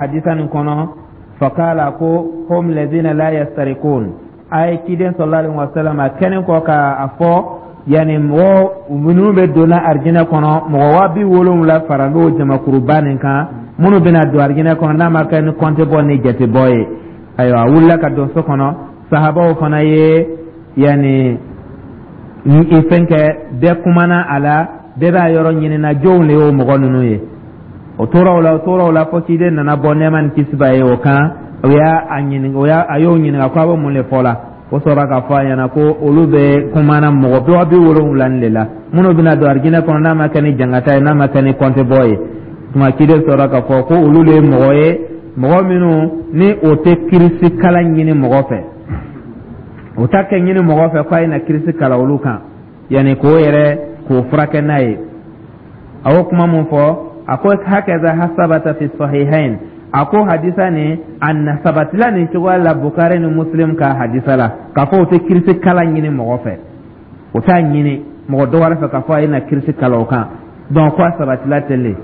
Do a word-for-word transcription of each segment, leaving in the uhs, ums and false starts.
Hadisa nin kɔnɔ, fakala ko hum lazina la yastarikun. A ye ciden sallallahu alaihi wasallam a kɛlen kɔ ka a fɔ, yani mɔgɔ minnu bɛ donna arijinɛ kɔnɔ, mɔgɔ waa bi wolonwula fara n'o jamakuruba nin kan, minnu bɛna don arijinɛ kɔnɔ n'a ma kɛ ni kɔnte bɔ ni jate bɔ ye. Ayiwa, a wulila ka don so kɔnɔ. Sahabaw fana ye yani fɛn kɛ, bɛɛ kumana a la, bɛɛ b'a yɔrɔ ɲinina jɔnw de y'o mɔgɔ ninnu ye. O tora o la, o tora o la, fo ciden nana bɔ, nɛɛma ni kisi b'a ye o kan. O y'a a ɲininka, o y'a a y'o ɲininka ko a bɛ mun de fɔ la. O sɔrɔla k'a fɔ a ɲɛna ko olu bɛ kumana mɔgɔ waa bi wolonwula de la minnu bɛna don arijinɛ kɔnɔ n'a ma kɛ ni jangata ye, n'a ma kɛ ni kɔnte bɔ ye. Tuma ciden sɔrɔla k'a fɔ ko olu de ye mɔgɔ ye, mɔgɔ minnu ni o tɛ kirisi kalan ɲini mɔgɔ fɛ, o ta kɛ ɲini mɔgɔ fɛ k'a ye na kirisi kalan olu kan, yanni k'o yɛrɛ k'o furakɛ n'a ye. A y'o kuma mun fɔ, a ko hakaza sabata fi sahihain. A ko hadisa nin a na sabatila nin cogoya la Bukari ni Muslim ka hadisa la, k'a fɔ o tɛ kirisi kalan ɲini mɔgɔ fɛ, o t'a ɲini mɔgɔ dɔ wɛrɛ fɛ k'a fɔ a ye na kirisi kalan o kan. Donc ko a sabatila ten de.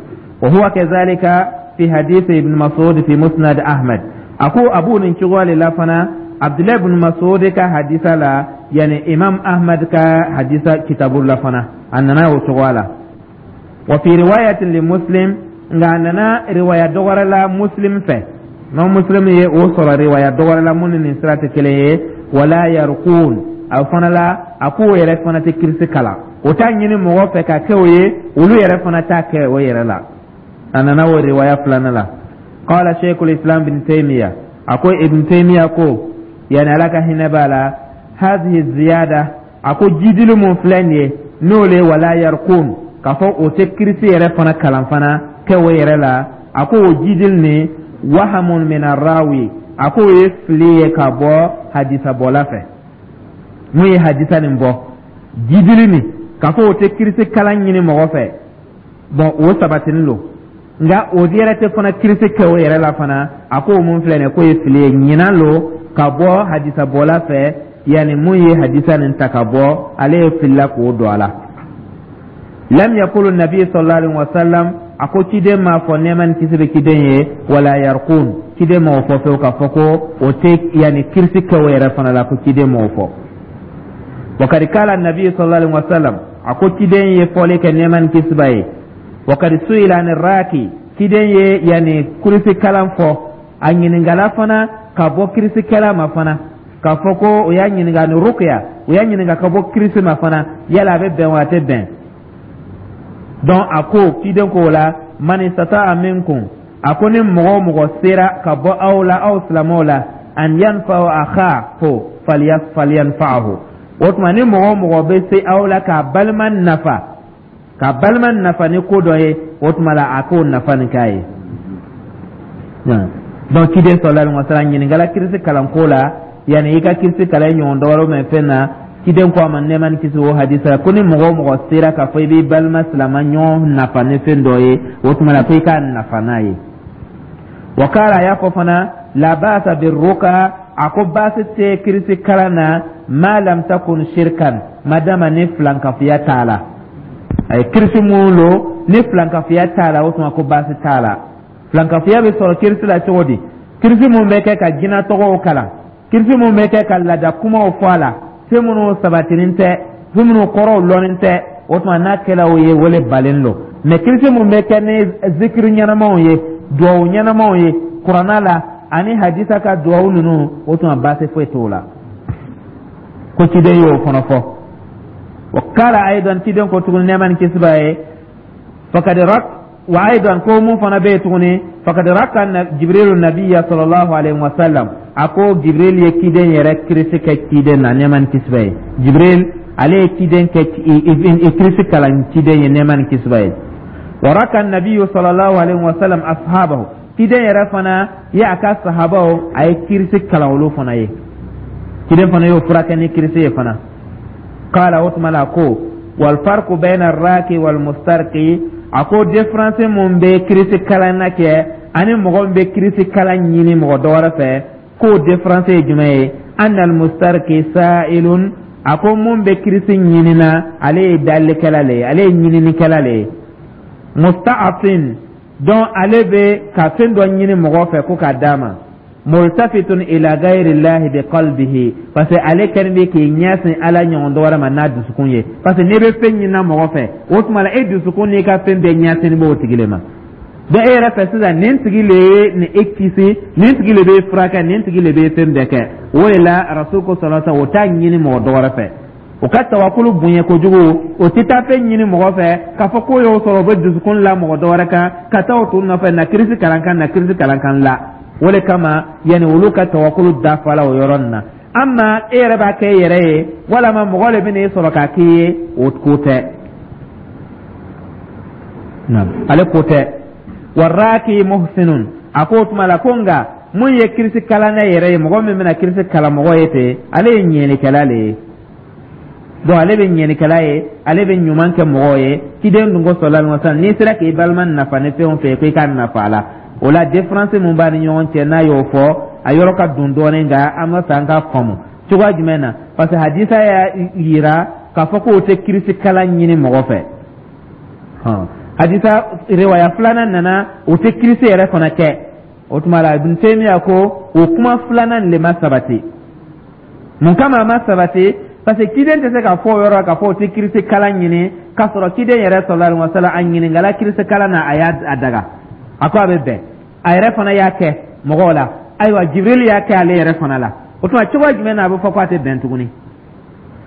Wa huwa kazalika fi hadith Ibn Mas'ud fi Musnad Ahmad. A ko a b'o nin cogoya de la fana Abdulayi ibn Mas'ud ka hadisa la, yani Imam Ahmad ka hadisa kitabu la fana, a nana o cogoya la. Wa fi riwayatin li Muslim, nka a nana riwaya dɔ wɛrɛ la Muslim fɛ, n'o Muslim ye o sɔrɔ riwaya dɔ wɛrɛ la mun ni nin sira tɛ kelen ye. Wala yarqun, a fana la, a k'o yɛrɛ fana tɛ kirisi kalan, o t'a ɲini mɔgɔ fɛ ka kɛ o ye, olu yɛrɛ fana t'a kɛ o yɛrɛ la. A nana o riwaya filanan la. Qala Sheikhul Islam bin Taymiya, a ko Ibn Taymiya ko, yani Ala ka hinɛ b'a la, hadhihi ziyada, a ko jidili mun filɛ nin ye, n'o le wala yarqun, k'a fɔ o tɛ kirisi yɛrɛ fana kalan fana kɛ o yɛrɛ la, a ko o jidili nin wahamun min arrawi, a ko o ye fili ye ka bɔ hadisabɔla fɛ. Mun ye hadisa nin bɔ, jidili nin k'a fɔ o tɛ kirisi kalan ɲini mɔgɔ fɛ, bon, o sabatinin don, nka o yɛrɛ tɛ fana kirisi kɛ o yɛrɛ la fana. A ko o mun filɛ nin ye, k'o ye fili ye, ɲinan lo ka bɔ hadisabɔla fɛ, yanni mun ye hadisa nin ta ka bɔ, ale ye filila k'o don a la. Lam yakulu nabi sallallahu alaihi wasallam, a ko ciden m'a fɔ, nɛɛma ni kisi bɛ ciden ye, wala yarqun, ciden m'o fɔ fewu k'a fɔ ko o tɛ yanni kirisi kɛ o yɛrɛ fana la, ko ciden m'o fɔ. Wakad kala nabi sallallahu alaihi wasallam, a ko ciden ye fɔli kɛ, nɛɛma ni kisi b'a ye. Wakad suila ani raki, ciden ye yanni kirisi kalan fɔ, a ɲininkala fana ka bɔ kirisikɛla ma fana, k'a fɔ ko o y'a ɲininka ni rukuya, o y'a ɲininka ka bɔ kirisi ma fana, yala a bɛ bɛn wa a tɛ bɛn. Donc a ko ciden ko o la, man istata'a minkum, a ko ni mɔgɔ o mɔgɔ sera ka bɔ aw la, aw silamɛw la, an yanfa'u akhahu falyanfa'hu. O tuma ni mɔgɔ o mɔgɔ bɛ se aw la k'a balima nafa, k'a balima nafa ni ko dɔ ye, o tuma la a k'o nafa nin k'a ye. Donc ciden sallallahu alaihi wasallam ɲininkala kirisi kalanko la, yanni i ka kirisi kalan i ɲɔgɔn dɔ wɛrɛ mɛ fɛn na. Ciden ko a ma, nɛɛma ni kisi o hadisa la, ko ni mɔgɔ o mɔgɔ sera k'a fɔ i b'i balima silama ɲɔgɔn nafa ni fɛn dɔ ye, o tuma la ko i k'a nafa n'a ye. Wa kala, a y'a fɔ fana, la ba'sa birruka, a ko baasi tɛ kirisi kalan na, ma lam takun shirkan, madama ni filankafoya t'a la. A ye kirisi mun lo ni filankafoya t'a la, o tuma ko baasi t'a la. Filankafoya bɛ sɔrɔ kirisi la cogo di? Kirisi mun bɛ kɛ ka jinɛ tɔgɔw kalan, kirisi mun bɛ kɛ ka laada kumaw fɔ a la, fɛn minnu sabatinin tɛ, fɛn minnu kɔrɔw lɔnnen tɛ, o tuma n'a kɛla o ye, wele balen don. Mɛ kirisi mun bɛ kɛ ni zikiri ɲɛnamaw ye, duwawu ɲɛnamaw ye, kuranna la ani hadisa ka duwawu ninnu, o tuma baasi foyi t'o la. Ko ciden y'o fana fɔ. Wa kala aidan, ciden ko tuguni, nɛɛma ni kisi b'a ye, fakad rak wa aidan, ko mun fana bɛ yen tuguni, fakad raka Jibrilu nabiya sallallahu alaihi wa sallam, a ko Jibril ye ciden yɛrɛ kirisi kɛ ciden na, nɛɛma ni kisi b'a ye. Jibril ale ye ciden kɛ kirisi kalan ciden ye, nɛɛma ni kisi b'a ye. Wa raka nabiyu sallallahu alaihi wa sallam ashabahu, ciden yɛrɛ fana ye a ka sahabaw, a ye kirisi kalan olu fana ye. Ciden fana y'o furakɛ ni kirisi ye fana. Kala, o tuma la ko walfarku bayna raki wal mustarki, a ko différence mun bɛ kirisi kalan na kɛ ani mɔgɔ min bɛ kirisi kalan ɲini mɔgɔ dɔ wɛrɛ fɛ, k'o différence ye jumɛn ye? Anna al mustarki sa'ilun, a ko mun bɛ kirisi ɲini na, ale ye dalikɛla le ye, ale ye ɲininikɛla le ye, musta'afin. Donc ale bɛ ka fɛn dɔ ɲini mɔgɔ fɛ ko k'a d'a ma, multafitun ila gayri llahi bi qalbihi, parce que ale kɛlen bɛ k'i ɲɛsin Ala ɲɔgɔn dɔ wɛrɛ ma n'a dusukun ye. Parce que n'i bɛ fɛn ɲinina mɔgɔ fɛ, o tuma la e dusukun n'i ka fɛn bɛɛ ɲɛsin b'o tigi le ma. Donc e yɛrɛ fɛ sisan, nin tigi le ye nin e kisi, nin tigi le bɛ furakɛ, nin tigi le bɛ fɛn bɛɛ kɛ. O de la Rasul ko sallallahu alaihi wa sallam, o t'a ɲini mɔgɔ dɔ wɛrɛ fɛ. O ka tawakulu bonya kojugu, o tɛ taa fɛn ɲini mɔgɔ fɛ k'a fɔ k'o y'o sɔrɔ, o bɛ dusukun la mɔgɔ dɔ wɛrɛ kan ka taa o tun nɔfɛ, na kirisi kalan kan, na kirisi kalan kan la. O de kama yanni olu ka tawakulu dafa la o yɔrɔ nin na. Amma e yɛrɛ b'a kɛ e yɛrɛ ye, walama mɔgɔ de bɛ n'e sɔrɔ k'a k'i ye, o ko tɛ, ale ko tɛ. Waraki muhsinun, a ko o tuma la ko nka mun ye kirisi kalanna yɛrɛ ye, mɔgɔ min bɛna kirisi kalan mɔgɔ ye ten, ale ye ɲɛnikɛla de ye. Donc ale bɛ ɲɛnikɛla ye, ale bɛ ɲuman kɛ mɔgɔw ye. Ciden dun ko sallallahu alaihi wasallam, n'i sera k'i balima nafa ni fɛn o fɛn ye, ko i k'a nafa a la. O la différence mun b'a ni ɲɔgɔn cɛ, n'a y'o fɔ, a yɔrɔ ka dun dɔɔnin, nka an b'a fɛ an k'a faamu cogoya jumɛn na, parce que hadisa y'a yira k'a fɔ k'o tɛ kirisi kalan ɲini mɔgɔ fɛ. Hadisa riwaya filanan nana, o tɛ kirisi yɛrɛ fana kɛ. O tuma la Ibn Taymiya ko o kuma filanan de ma sabati. Mun kama a ma sabati? Parce que ciden tɛ se ka fɔ o yɔrɔ la k'a fɔ o tɛ kirisi kalan ɲini, k'a sɔrɔ ciden yɛrɛ sallallahu alaihi wasallam, a ɲininkala kirisi kalan na, a y'a daga, a ko a bɛ bɛn, a yɛrɛ fana y'a kɛ mɔgɔw la. Ayiwa, Jibril y'a kɛ ale yɛrɛ fana la. O tuma cogoya jumɛn na a bɛ fɔ ko a tɛ bɛn tuguni?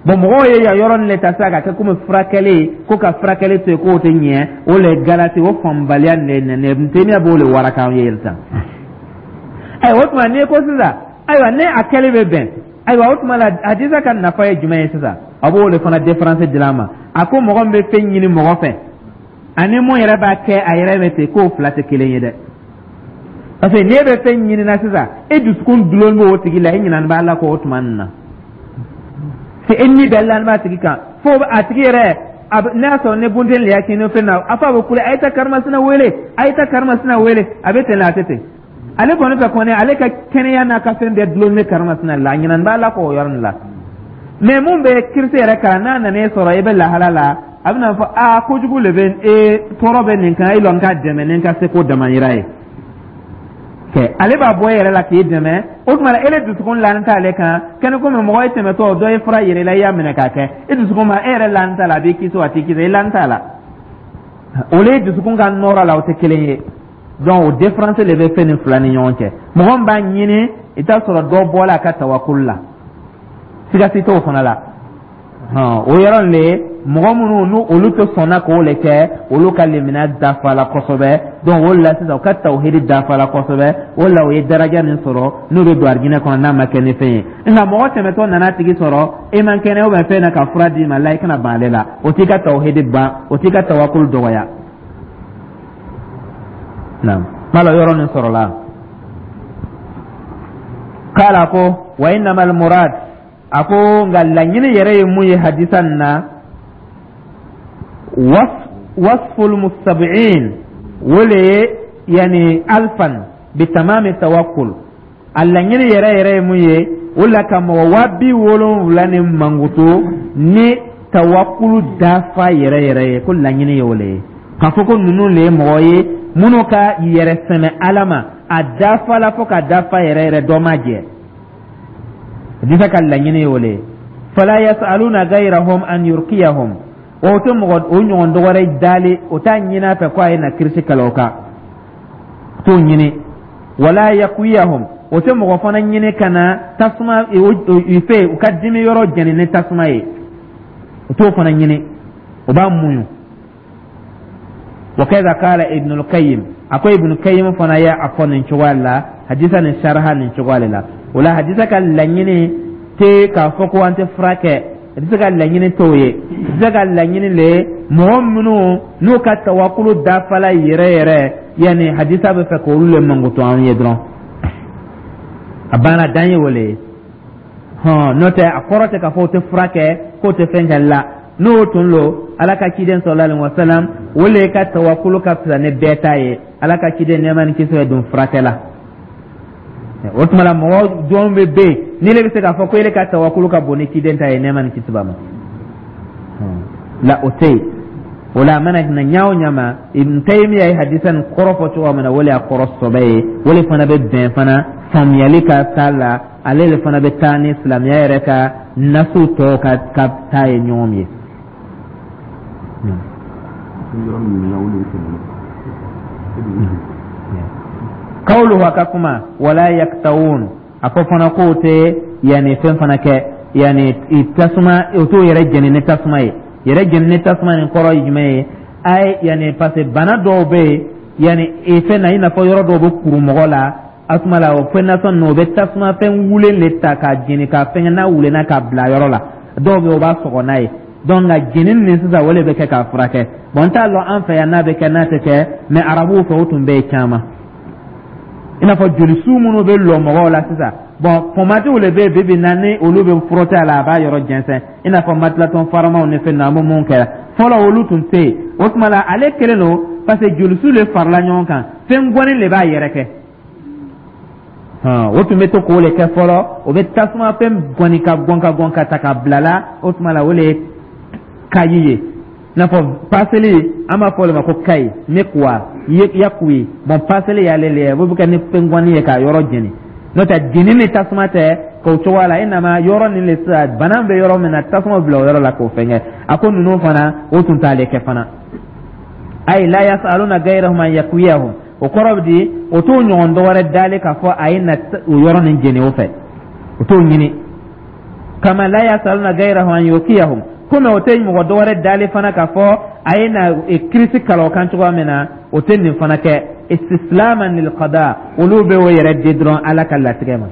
Bon, mɔgɔw ye yan yɔrɔ nin le ta sisan ka kɛ komi furakɛli, ko ka furakɛli to yen k'o tɛ ɲɛ. O le galati, o faamubaliya nin le Ibn Taymiya b'o le waraka an ye sisan. Ayiwa, o tuma n'i ko sisan, ayiwa, ne a kɛli bɛ bɛn, ayiwa, o tuma la hadisa ka nafa ye jumɛn ye sisan? A b'o le fana différence dilan a ma. A ko mɔgɔ min bɛ fɛn ɲini mɔgɔ fɛ ani mun yɛrɛ b'a kɛ a yɛrɛ bɛ ten, k'o fila tɛ kelen ye dɛ. Parce que n'e bɛ fɛn ɲini na sisan, e dusukun dulon b'o tigi la, e ɲinɛna b'a la k'o tuma nin na se, e ni bɛɛ lani b'a tigi kan, fo a tigi yɛrɛ a n'a y'a sɔrɔ ne bunten le y'a kɛ ni fɛn na, a fɔ a bɛ kule: "A ye taa karimasina wele, a ye taa karimasina wele." A bɛ ten, a tɛ ten. Ale kɔni fɛ kɔni, ale ka kɛnɛya n'a ka fɛn bɛɛ dulon bɛ karimasina la, a ɲinɛna b'a la k'o yɔrɔ nin la. Mais mun bɛ kirisi yɛrɛ kalan, n'a nana e sɔrɔ e bɛ lahala la, a bɛna fɔ: "Aa, kojugu le bɛ e tɔɔrɔ bɛ nin kan, e lɔn ka dɛmɛ ni n ka seko damayira ye." Kɛ ale b'a bɔ e yɛrɛ la k'i dɛmɛ. O tuma la e le dusukun lani t'ale kan kɛnɛ, komi mɔgɔ ye tɛmɛtɔ dɔ ye fura yɛrɛ la, i y'a minɛ k'a kɛ, e dusukun ma e yɛrɛ lani t'a la, a b'i kisi o a t'i kisi, e lani t'a la. O le dusukun ka nɔrɔ la, o tɛ kelen ye. Donc o différence de bɛ fɛn ni fila ni ɲɔgɔn cɛ. Mɔgɔ min b'a ɲini, i t'a sɔrɔ dɔ bɔla a ka tawakulu la, siga si t'o fana la. O yɔrɔ le, mɔgɔ minnu n'u olu tɛ sɔnna k'o le kɛ, olu ka limaniya dafala kosɛbɛ. Donc o la sisan u ka tawhidi dafala kosɛbɛ, o la o ye daraja min sɔrɔ n'u bɛ don arijinɛ kɔnɔ n'a ma kɛ ni fɛn ye. Nka mɔgɔ tɛmɛtɔ nana tigi sɔrɔ, e man kɛnɛ ou bien fɛn na ka fura d'i ma la, i kana ban ale la, o t'i ka tawhidi ban, o t'i ka tawakulu dɔgɔya. Naam, mala yɔrɔ nin sɔrɔla. Kala ko wa innama almurad, a ko nka laɲini yɛrɛ ye mun ye hadisa nin na, wasful mustab'in, o le ye yani alfan bitamami tawakkul. A laɲini yɛrɛ yɛrɛ ye mun ye, o la ka mɔgɔ waa bi wolonwula ni mankuto ni tawakkulu dafa yɛrɛ yɛrɛ ye, ko laɲini ye o le ye, k'a fɔ ko ninnu le ye mɔgɔ ye minnu ka yɛrɛ sɛmɛ Ala ma, a dafa la fo ka dafa yɛrɛ yɛrɛ, dɔ ma jɛ. Hadisa ka laɲini ye o le ye. Fala yasaluna gayrahum an yurkiyahum, o tɛ mɔgɔ o ɲɔgɔn dɔ wɛrɛ dali, o t'a ɲini a fɛ ko a ye na kirisi kɛlɛ o kan, t'o ɲini. Wala yakwiyahum, o tɛ mɔgɔ fana ɲini ka na tasuma u fɛ, u ka dimi yɔrɔ jɛni ni tasuma ye, o t'o fana ɲini, o b'a muɲu. Wa kaza qala Ibn al-Qayyim, a ko Ibn Qayyim fana ye a fɔ nin cogoya la, hadisa nin sharha nin cogoya la. O la hadisa ka laɲini tɛ k'a fɔ ko an tɛ fura kɛ, hadisa ka laɲini t'o ye. Hadisa ka laɲini le, mɔgɔ minnu n'u ka tawakulu dafala yɛrɛ yɛrɛ, yanni hadisa bɛ fɛ k'olu le mankutu an ye dɔrɔn, a banna, dan ye o le ye. Hɔn, n'o tɛ, a kɔrɔ tɛ k'a fɔ o tɛ fura kɛ, k'o tɛ fɛn kɛ la. N'o tun lo, Ala ka ciden sallallahu alaihi wasallam, o le ka tawakulu ka fisa ni bɛɛ ta ye. Ala ka ciden, nɛɛma ni kisi bɛ don furakɛ la. O tuma la mɔgɔ jɔn bɛ bɛ yen ni ne bɛ se k'a fɔ ko ele ka tawakulu ka bon ni ciden ta ye, nɛɛma ni kisi b'a ma la? O tɛ yen. O la a mana na ɲa o ɲa ma, Ibn Taymiya ye hadisa nin kɔrɔ fɔ cogoya min na, o le y'a kɔrɔ sɔbɛ ye. O le fana bɛ bɛn fana faamuyali ka taa la, ale le fana bɛ taa ni silamɛya yɛrɛ ka nasu tɔw ka ka taa ye ɲɔgɔn ye. Yɔrɔ min na, o de bɛ tɛmɛ. Kawuluhu, a ka kuma, wala yaktawun, a ko fana k'o tɛ yanni fɛn fana kɛ, yanni tasuma, o t'o yɛrɛ jɛni ni tasuma ye. Yɛrɛ jɛni ni tasuma nin kɔrɔ ye jumɛn ye? A ye yanni, parce que bana dɔw bɛ yen, yanni fɛn na, i n'a fɔ yɔrɔ dɔw bɛ kuru mɔgɔ la, a tuma la o fɛn nasɔn ninnu, o bɛ tasuma fɛn wulen de ta k'a jeni k'a fɛngɛ, n'a wulenna k'a bila yɔrɔ la, dɔw bɛ yen, o b'a sɔgɔ n'a ye. Donc nka jeni nin sisan, o de bɛ kɛ k'a furakɛ. Bon, n t'a lɔn an fɛ yan n'a bɛ kɛ, n'a tɛ kɛ, mais arabuw fɛ, o tun bɛ yen caman, i n'a fɔ jolisu minnu bɛ lɔ mɔgɔw la sisan. Bon, pɔmadiw de bɛ yen bi bi na, ni olu bɛ frotter a la, a b'a yɔrɔ jɛnsɛn, i n'a fɔ Matilatɔn faramaw ni fɛn ninnu. An bɛ mun kɛ fɔlɔ, olu tun tɛ yen. O tuma la, ale kelen don, parce que jolisu de farala ɲɔgɔn kan, fɛn gɔni de b'a yɛrɛ kɛ. O tun bɛ to k'o de kɛ fɔlɔ, o bɛ tasuma fɛn gɔni ka gɔn ka gɔn ka ta ka bila la. O tuma la, o de ye kayi ye, i n'a fɔ paseli, an b'a fɔ o de ma ko kayi mekuwa yakuyi. Bon, paseli y'ale le ye, o bɛ kɛ ni fɛn gɔni ye k'a yɔrɔ jeni. N'o tɛ, jeni ni tasuma tɛ k'o cogoya la, i nama yɔrɔ nin le sisan, bana bɛ yɔrɔ min na, tasuma bila o yɔrɔ la k'o fɛngɛ. A ko ninnu fana, o tun t'ale kɛ fana. Ayi la yasaluna gayrahum an yakwiyahum, o kɔrɔ bɛ di, o t'o ɲɔgɔn dɔ wɛrɛ dalen k'a fɔ a ye na o yɔrɔ nin jeni o fɛ, o t'o ɲini. Kama la yasaluna gayrahum an yukiyahum, komi o tɛ mɔgɔ dɔ wɛrɛ dalen fana k'a fɔ a ye na kirisi kalan o kan cogoya min na, o tɛ nin fana kɛ. Istislaman lil qada, olu bɛ o yɛrɛ di dɔrɔn Ala ka latigɛ ma.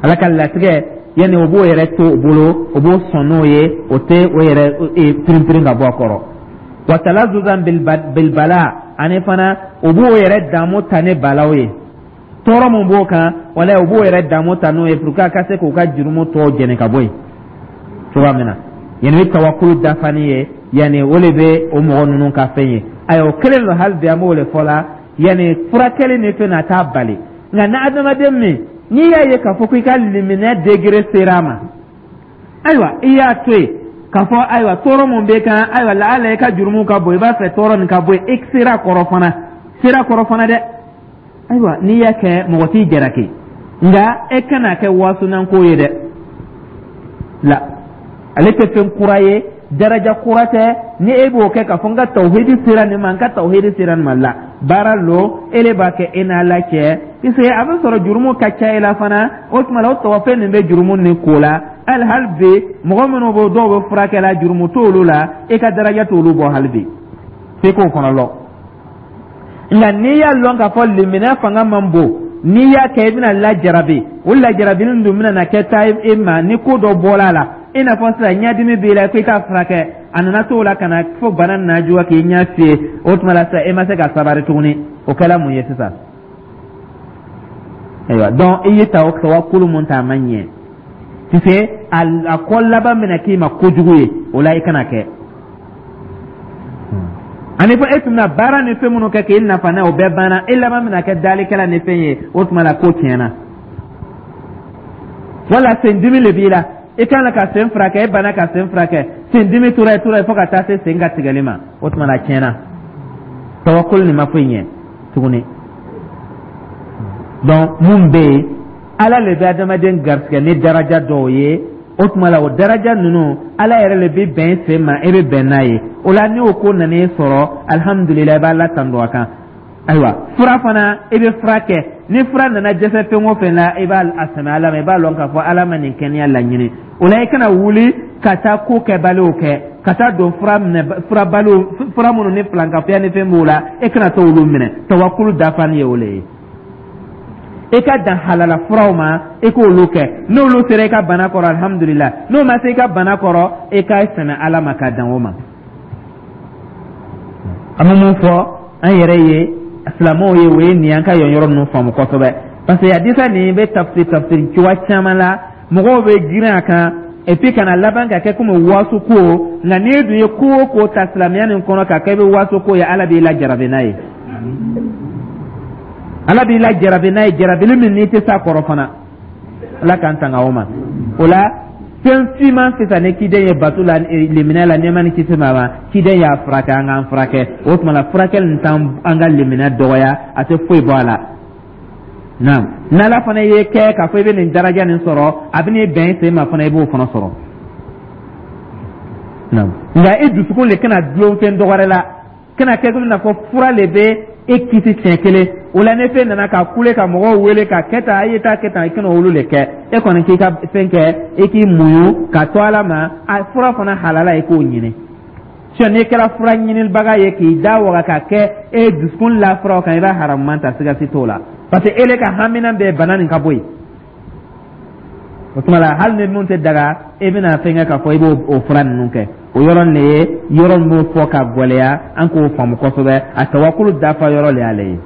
Ala ka latigɛ, yanni o b'o yɛrɛ to o bolo, o b'o sɔn n'o ye, o tɛ o yɛrɛ pirinpirin ka bɔ a kɔrɔ. Wa talazuzan bilbala, ani fana o b'o yɛrɛ damu ta ni balaw ye, tɔɔrɔ mun b'o kan, wala o b'o yɛrɛ damu ta n'o ye pour que a ka se k'u ka jurumu tɔw jɛni ka bɔ yen cogoya min na. Yanni bɛ tawakulu dafani ye, yanni o de bɛ o mɔgɔ ninnu ka fɛn ye. Ayiwa, o kelen don, hali bi an b'o de fɔ la, yanni furakɛli ni fɛn na t'a bali. Nka ni adamaden min n'i y'a ye k'a fɔ ko i ka liminɛ degré sera a ma, ayiwa, i y'a to yen k'a fɔ ayiwa, tɔɔrɔ mun b'e kan, ayiwa, laala i ka jurumu ka bon, i b'a fɛ tɔɔrɔ nin ka bɔ yen, i sera kɔrɔ fana, sera kɔrɔ fana dɛ. Ayiwa, n'i y'a kɛ, mɔgɔ t'i jalaki, nka e kana kɛ wasunanko ye dɛ. La ale tɛ fɛn kura ye, daraja kura tɛ. Ni e b'o kɛ k'a fɔ n ka tawhidi sera nin ma, n ka tawhidi sera nin ma, la baara lo, e de b'a kɛ e n'Ala cɛ, puisque a bɛ sɔrɔ jurumu ka ca i la fana. O tuma la, o tɔgɔfɛn nin bɛ jurumu nin ko la. Hali hali bi, mɔgɔ minnu bɛ, dɔw bɛ furakɛ la, jurumu t'olu la, e ka daraja t'olu bɔ hali bi, f'e k'o fana lɔn. Nka n'i y'a lɔn k'a fɔ liminɛ fanga man bon, n'i y'a kɛ, i bɛna lajarabi, o lajarabili dun bɛna na kɛ taa e ma ni ko dɔ bɔra a la, i n'a fɔ sisan ɲɛdimi b'i la ko i k'a furakɛ, a nana t'o la ka na fo bana nana juguya k'i ɲɛ fiyɛ. O tuma la sisan, e ma se ka sabari tuguni, o kɛla mun ye sisan? Ayiwa, donc i ye tawakulu mun ta, a ma ɲɛ, puisque a kɔ laban bɛna k'i ma kojugu ye. O la, i kana kɛ. Ani fɔ e tun bɛna baara ni fɛn minnu kɛ k'i nafa n'a ye, o bɛɛ banna, e laban bɛna kɛ dalikɛla ni fɛn ye. O tuma la, ko tiɲɛna. Wala sendimi le b'i la, i kan ka sen furakɛ, e banna ka sen furakɛ, sendimi tora yen, tora yen, fo ka taa se sen ka tigɛli ma. O tuma la, tiɲɛna, tawakulu nin ma foyi ɲɛ tuguni. Donc mun bɛ yen, Ala le bɛ adamaden garisɛgɛ ni daraja dɔw ye. O tuma la, o daraja ninnu, Ala yɛrɛ le bɛ bɛn sen ma, e bɛ bɛn n'a ye. O la, ni o ko nana e sɔrɔ, alihamudulila, i b'a la tando a kan. Ayiwa, fura fana, i bɛ fura kɛ, ni fura nana dɛsɛ fɛn o fɛn la, i b'a a sɛmɛ Ala ma, i b'a lɔn k'a fɔ Ala ma nin kɛnɛya laɲini. O la, i kana wuli ka taa ko kɛbaliw kɛ, ka taa don fura minɛ, furabaliw, fura minnu ni filankafoya ni fɛn b'o la, e kana t'olu minɛ. Tawakulu dafani ye o le ye. I ka dan halala furaw ma, i k'olu kɛ. N'olu sera i ka bana kɔrɔ, alihamudulila. N'o ma se i ka bana kɔrɔ, i ka sɛmɛ Ala ma ka dan o ma. An bɛ mun fɔ an yɛrɛ ye, silamɛw ye, o ye nin y'an ka yan yɔrɔ ninnu faamu kosɛbɛ, parce que hadisa nin bɛ tafsir tafsir cogoya caman la, mɔgɔw bɛ girin a kan, et puis kana laban ka kɛ komi wasu ko. Nka n'i dun ye ko o ko ta silamɛya nin kɔnɔ ka kɛ i bɛ wasu ko ye, Ala b'i lajarabi n'a ye, Ala b'i lajarabi n'a ye, jarabili min n'i tɛ s'a kɔrɔ fana. Ala k'an tanga o ma. O la, Fɛn finman fisa ni ciden ye bato la, limaniya la, nɛɛma ni kisi b'a ma. Ciden y'a furakɛ, an k'an furakɛ. O tuma la, furakɛli nin t'an an ka limaniya dɔgɔya, a tɛ foyi bɔ a la. Naam, n'Ala fana ye kɛ k'a fɔ i bɛ nin daraja nin sɔrɔ, a bɛ n'i bɛn i sen ma fana, i b'o fana sɔrɔ. Naam, nka i dusukun le kana dulon fɛn dɔgɔrɛ la, kana kɛ komi n'a fɔ fura le bɛ e kisi siɲɛ kelen. O la, ni fɛn nana ka kule ka mɔgɔw wele ka kɛ tan, a ye taa kɛ tan, i kana olu le kɛ. E kɔni k'i ka fɛn kɛ, i k'i muɲu ka to Ala ma. A fura fana halala, i k'o ɲini. Sinon n'i kɛra fura ɲinibaga ye k'i da waga ka kɛ e dusukun la furaw kan, i b'a haramuman ta, siga si t'o la, parce que e le ka hamina bɛɛ bana nin ka bɔ yen. O tuma la, hali ni mun tɛ daga, e bɛna fɛn kɛ k'a fɔ i b'o o fura ninnu kɛ. O yɔrɔ nin de ye yɔrɔ min b'o fɔ ka gɛlɛya, an k'o faamu kosɛbɛ. A tawakulu dafa yɔrɔ le y'ale ye.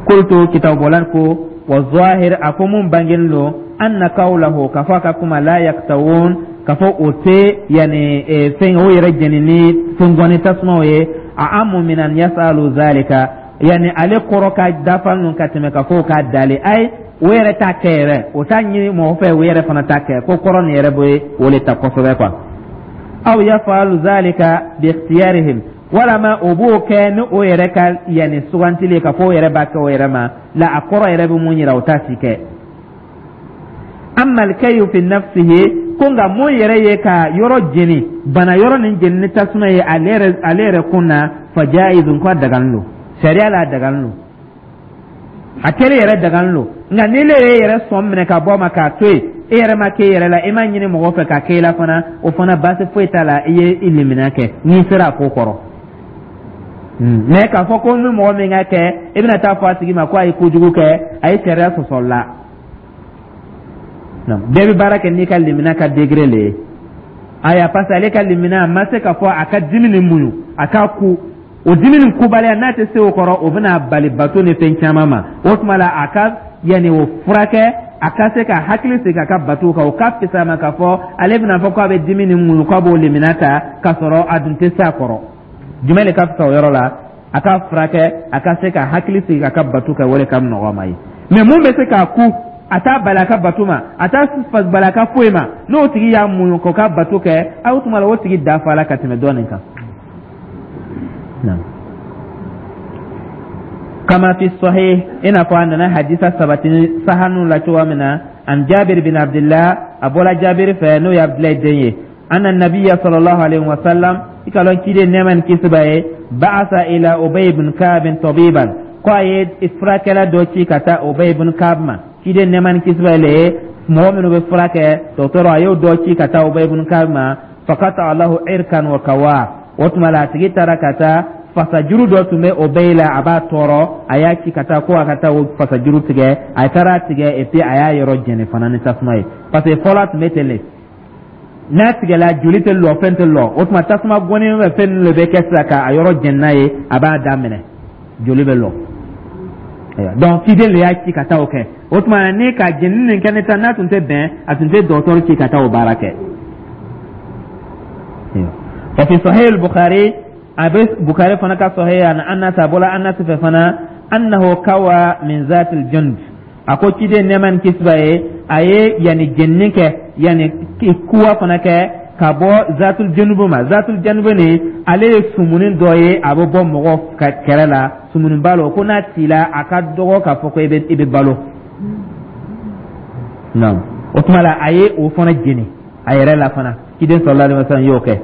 Qultu, kitabubɔlan ko wa zahir, a ko mun bangenen don, anna qawlahu, k'a fɔ a ka kuma la yaktawun, k'a fɔ o tɛ yani fɛn o yɛrɛ jɛni ni fɛn tasumaw ye, a amu min an yasalu zalika, yani ale kɔrɔ ka dafa ninnu ka tɛmɛ ka fɔ k'a dalen ayi, o yɛrɛ t'a kɛ yɛrɛ, o t'a ɲini mɔgɔ fɛ, o yɛrɛ fana t'a kɛ. Ko kɔrɔ nin yɛrɛ bɛ o le ta kosɛbɛ quoi. Aw yafalu zalika bi ikhtiyarihim, walama o b'o kɛ ni o yɛrɛ ka yanni sugantili, ka fɔ o yɛrɛ b'a kɛ o yɛrɛ ma la. A kɔrɔ yɛrɛ bɛ mun yira, o t'a si kɛ. Amma alkayu fi nafsihi, ko nka mun yɛrɛ ye ka yɔrɔ jeni, bana yɔrɔ nin jeni ni tasuma ye ale yɛrɛ ale yɛrɛ kun na, fa jaizun, ko a dagalen don sariya la, a dagalen don, a kɛlen yɛrɛ dagalen don. Nka ni ne yɛrɛ yɛrɛ sɔn minɛ ka bɔ a ma k'a to yen, e yɛrɛ ma k'e yɛrɛ la, e ma ɲini mɔgɔ fɛ ka k'e la fana, o fana baasi foyi t'a la, i ye i limaniya kɛ n'i sera a ko kɔrɔ. Mɛ k'a fɔ ko ni mɔgɔ min ka kɛ, i bɛna taa fɔ a tigi ma ko a ye kojugu kɛ, a ye sariya sɔsɔ la. Bɛɛ bɛ baara kɛ n'i ka limaniya ka degré le ye. Aya, parce que ale ka limaniya a ma se k'a fɔ a ka dimi nin muɲu, a k'a ku o dimi nin kubaliya, n'a tɛ se o kɔrɔ, o bɛna bali bato ni fɛn caman ma. O tuma la, a ka yanni o furakɛ, a ka se ka hakili sigi a ka bato kan, o ka fisa ma k'a fɔ ale bɛna fɔ k'a bɛ dimi nin muɲu, k'a b'o limaniya ta k'a sɔrɔ a dun tɛ se a kɔrɔ. Jumɛn de ka fisa o yɔrɔ la? A ka furakɛ, a ka se ka hakili sigi a ka bato kɛ, o de ka nɔgɔ ma ye. Mɛ mun bɛ se k'a ku, a t'a bali a ka bato ma, a t'a bali a ka foyi ma, n'o tigi y'a muɲu k'o ka bato kɛ, a o tuma la, o tigi dafa la ka tɛmɛ dɔ nin kan. Kama fi sahih, i n'a fɔ a nana hadisa sabati sahanu la cogoya min na, an Jabir bin Abdullah, a bɔra Jabir fɛ, n'o ye Abdulayi den ye, anna nabiya sallallahu alaihi wa sallam, i ka lɔn ciden nɛɛma ni kisi b'a ye, ba'asa ila Ubay ibn Ka'b tabiban, ko a ye furakɛla dɔ ci ka taa Ubay ibn Ka'b ma. Ciden nɛɛma ni kisi b'a ye, mɔgɔ minnu bɛ fura kɛ, dɔgɔtɔrɔ, a y'o dɔ ci ka taa Ubay ibn Ka'b ma. Faqata lahu irkan wa kawa. O tuma la, a tigi taara ka taa fasajuru dɔ tun bɛ Ubay la, a b'a tɔɔrɔ, a y'a ci ka taa ko a ka taa o fasajuru tigɛ. A taara tigɛ, et puis a y'a yɔrɔ jɛni fana ni tasuma ye, parce que fɔlɔ a tun bɛ ten de, n'a tigɛla, joli tɛ lɔ, fɛn tɛ lɔ. O tuma tasuma gɔni bɛ fɛn ninnu de bɛ kɛ sisan k'a yɔrɔ jɛni n'a ye, a b'a daminɛ, joli bɛ lɔ. Donc ciden de y'a ci ka taa o kɛ. O tuma ni ka jɛni nin kɛ ne ta, n'a tun tɛ bɛn, a tun tɛ dɔgɔtɔrɔ ci ka taa o baara kɛ. Wa fi sahih al-Bukhari, a bɛ Bukhari fana ka sahih, an Anas, a bɔla Anas fɛ fana, annahu kawa min zatil jund, a ko ciden nɛɛma ni kisi b'a ye, a ye yanni jenini kɛ, yanni kuwa fana kɛ ka bɔ zatul janubu ma. Zatul janubu nin, ale ye sumuni dɔ ye, a bɛ bɔ mɔgɔ ka kɛrɛ la, sumuni b'a la ko n'a t'i la, a ka dɔgɔ k'a fɔ ko i bɛ i bɛ balo. Naam, o tuma la, a ye o fana jeni a yɛrɛ la fana. Ciden sallallahu alaihi wasallam y'o kɛ.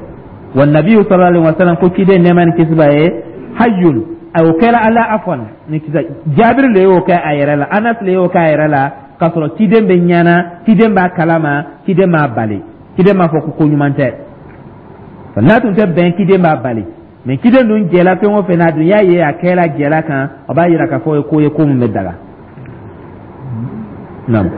Wa nabiyu sallallahu alaihi wasallam, ko ciden nɛɛma ni kisi b'a ye, hayyun, a o kɛra ala afwan ni kisa Jabiri le y'o kɛ a yɛrɛ la, Anas le y'o kɛ a yɛrɛ la, k'a sɔrɔ ciden bɛ ɲana, ciden b'a kalama, ciden m'a bali, ciden m'a fɔ ko ko ɲuman tɛ. N'a tun tɛ bɛn, ciden b'a bali. Mɛ ciden dun jɛla fɛn o fɛn na, a dun y'a ye a kɛla jɛla kan, o b'a yira k'a fɔ o ye ko ye ko min bɛ daga. Naam.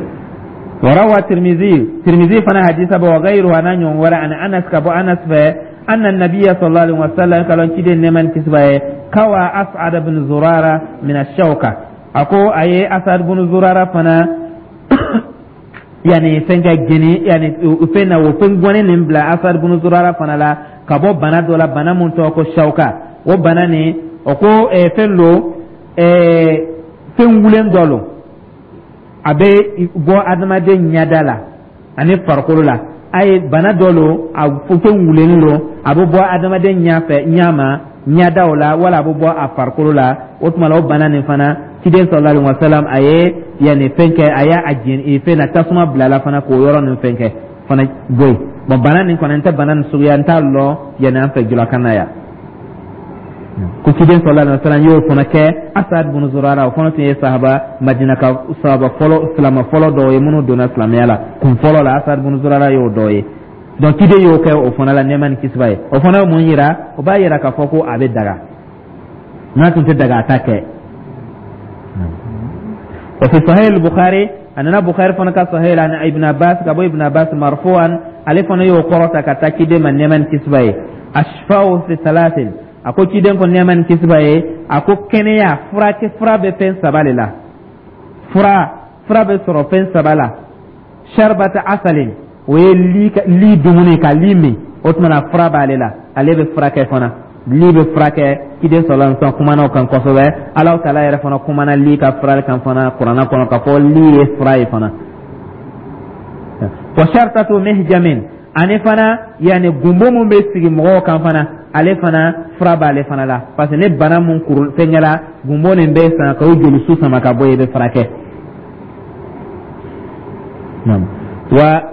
وروى الترمذي، ترمذي فنا حديث وغيره، أنا يوم عن أنس، كبو أنس في أن النبي صلى الله عليه وسلم قال كده نمان كسبه كوى أسعد بن زرارة من الشوكة. أكو أي أسعد بن زرارة فنا yani fɛn ka jeni, yani fɛn na o fɛn gɔni nin bila Asad bunu Zurara fana la ka bɔ bana dɔ la, bana mun tɔgɔ ko shawka. O bana nin, o ko fɛn lo, fɛn wulen dɔ lo. A A bɛ bɔ adamaden ɲɛda la ani farikolo la. A ye bana dɔ lo, a fɛn wulenin lo, a bɛ bɔ adamaden ɲɛ fɛ, ɲɛ ma, ɲɛdaw la, wala a bɛ bɔ a farikolo la. O tuma la, o bana nin fana, ciden sallallahu alaihi wasallam a ye yanni fɛn kɛ, a y'a jeni fɛn na, tasuma bila la fana k'o yɔrɔ nin fɛn kɛ fana bɔ yen. Bon, bana nin kɔni, n tɛ bana nin suguya, n t'a lɔn yanni an fɛ julakan na yan. Ko ciden sallallahu alaihi wasallam y'o fana kɛ Asad bin Zurara. O fana tun ye sahaba, Madina ka sahaba fɔlɔ, silamɛ fɔlɔ dɔw ye minnu donna silamɛya la kun fɔlɔ la. Asad bin Zurara y'o dɔ ye. Donc ciden y'o kɛ o fana la, nɛɛma ni kisi b'a ye. O fana ye mun yira? O b'a yira k'a fɔ ko a bɛ daga. N'a tun tɛ daga, a t'a kɛ. وفي صحيح البخاري أننا بخاري فنك صحيح عن ابن عباس، كابو ابن عباس مرفوعا، ale fana y'o kɔrɔta ka taa ciden ma, nɛɛma ni kisi b'a ye: الشفاء في ثلاث. A ko ciden ko, nɛɛma ni kisi b'a ye, a ko kɛnɛya furakɛ, fura bɛ fɛn saba de la. Fura, fura bɛ sɔrɔ fɛn saba la: شربة عسل, o ye li, li dumuni, ka li min, o tuma na fura b'ale la, ale bɛ furakɛ fana, li bɛ furakɛ. Ciden sɔrɔla sɔn kumana o kan kosɛbɛ. Alahu taala yɛrɛ fana kumana li ka fura kan fana kuranna kɔnɔ, k'a fɔ li ye fura ye fana. وشرطة محجم, ani fana yanni gunbo mun bɛ sigi mɔgɔw kan fana, ale fana fura b'ale fana la, parce que ni bana mun kuru fɛnkɛla, gunbo nin bɛ san ka o jolisu sama ka bɔ yen, i bɛ furakɛ. Wa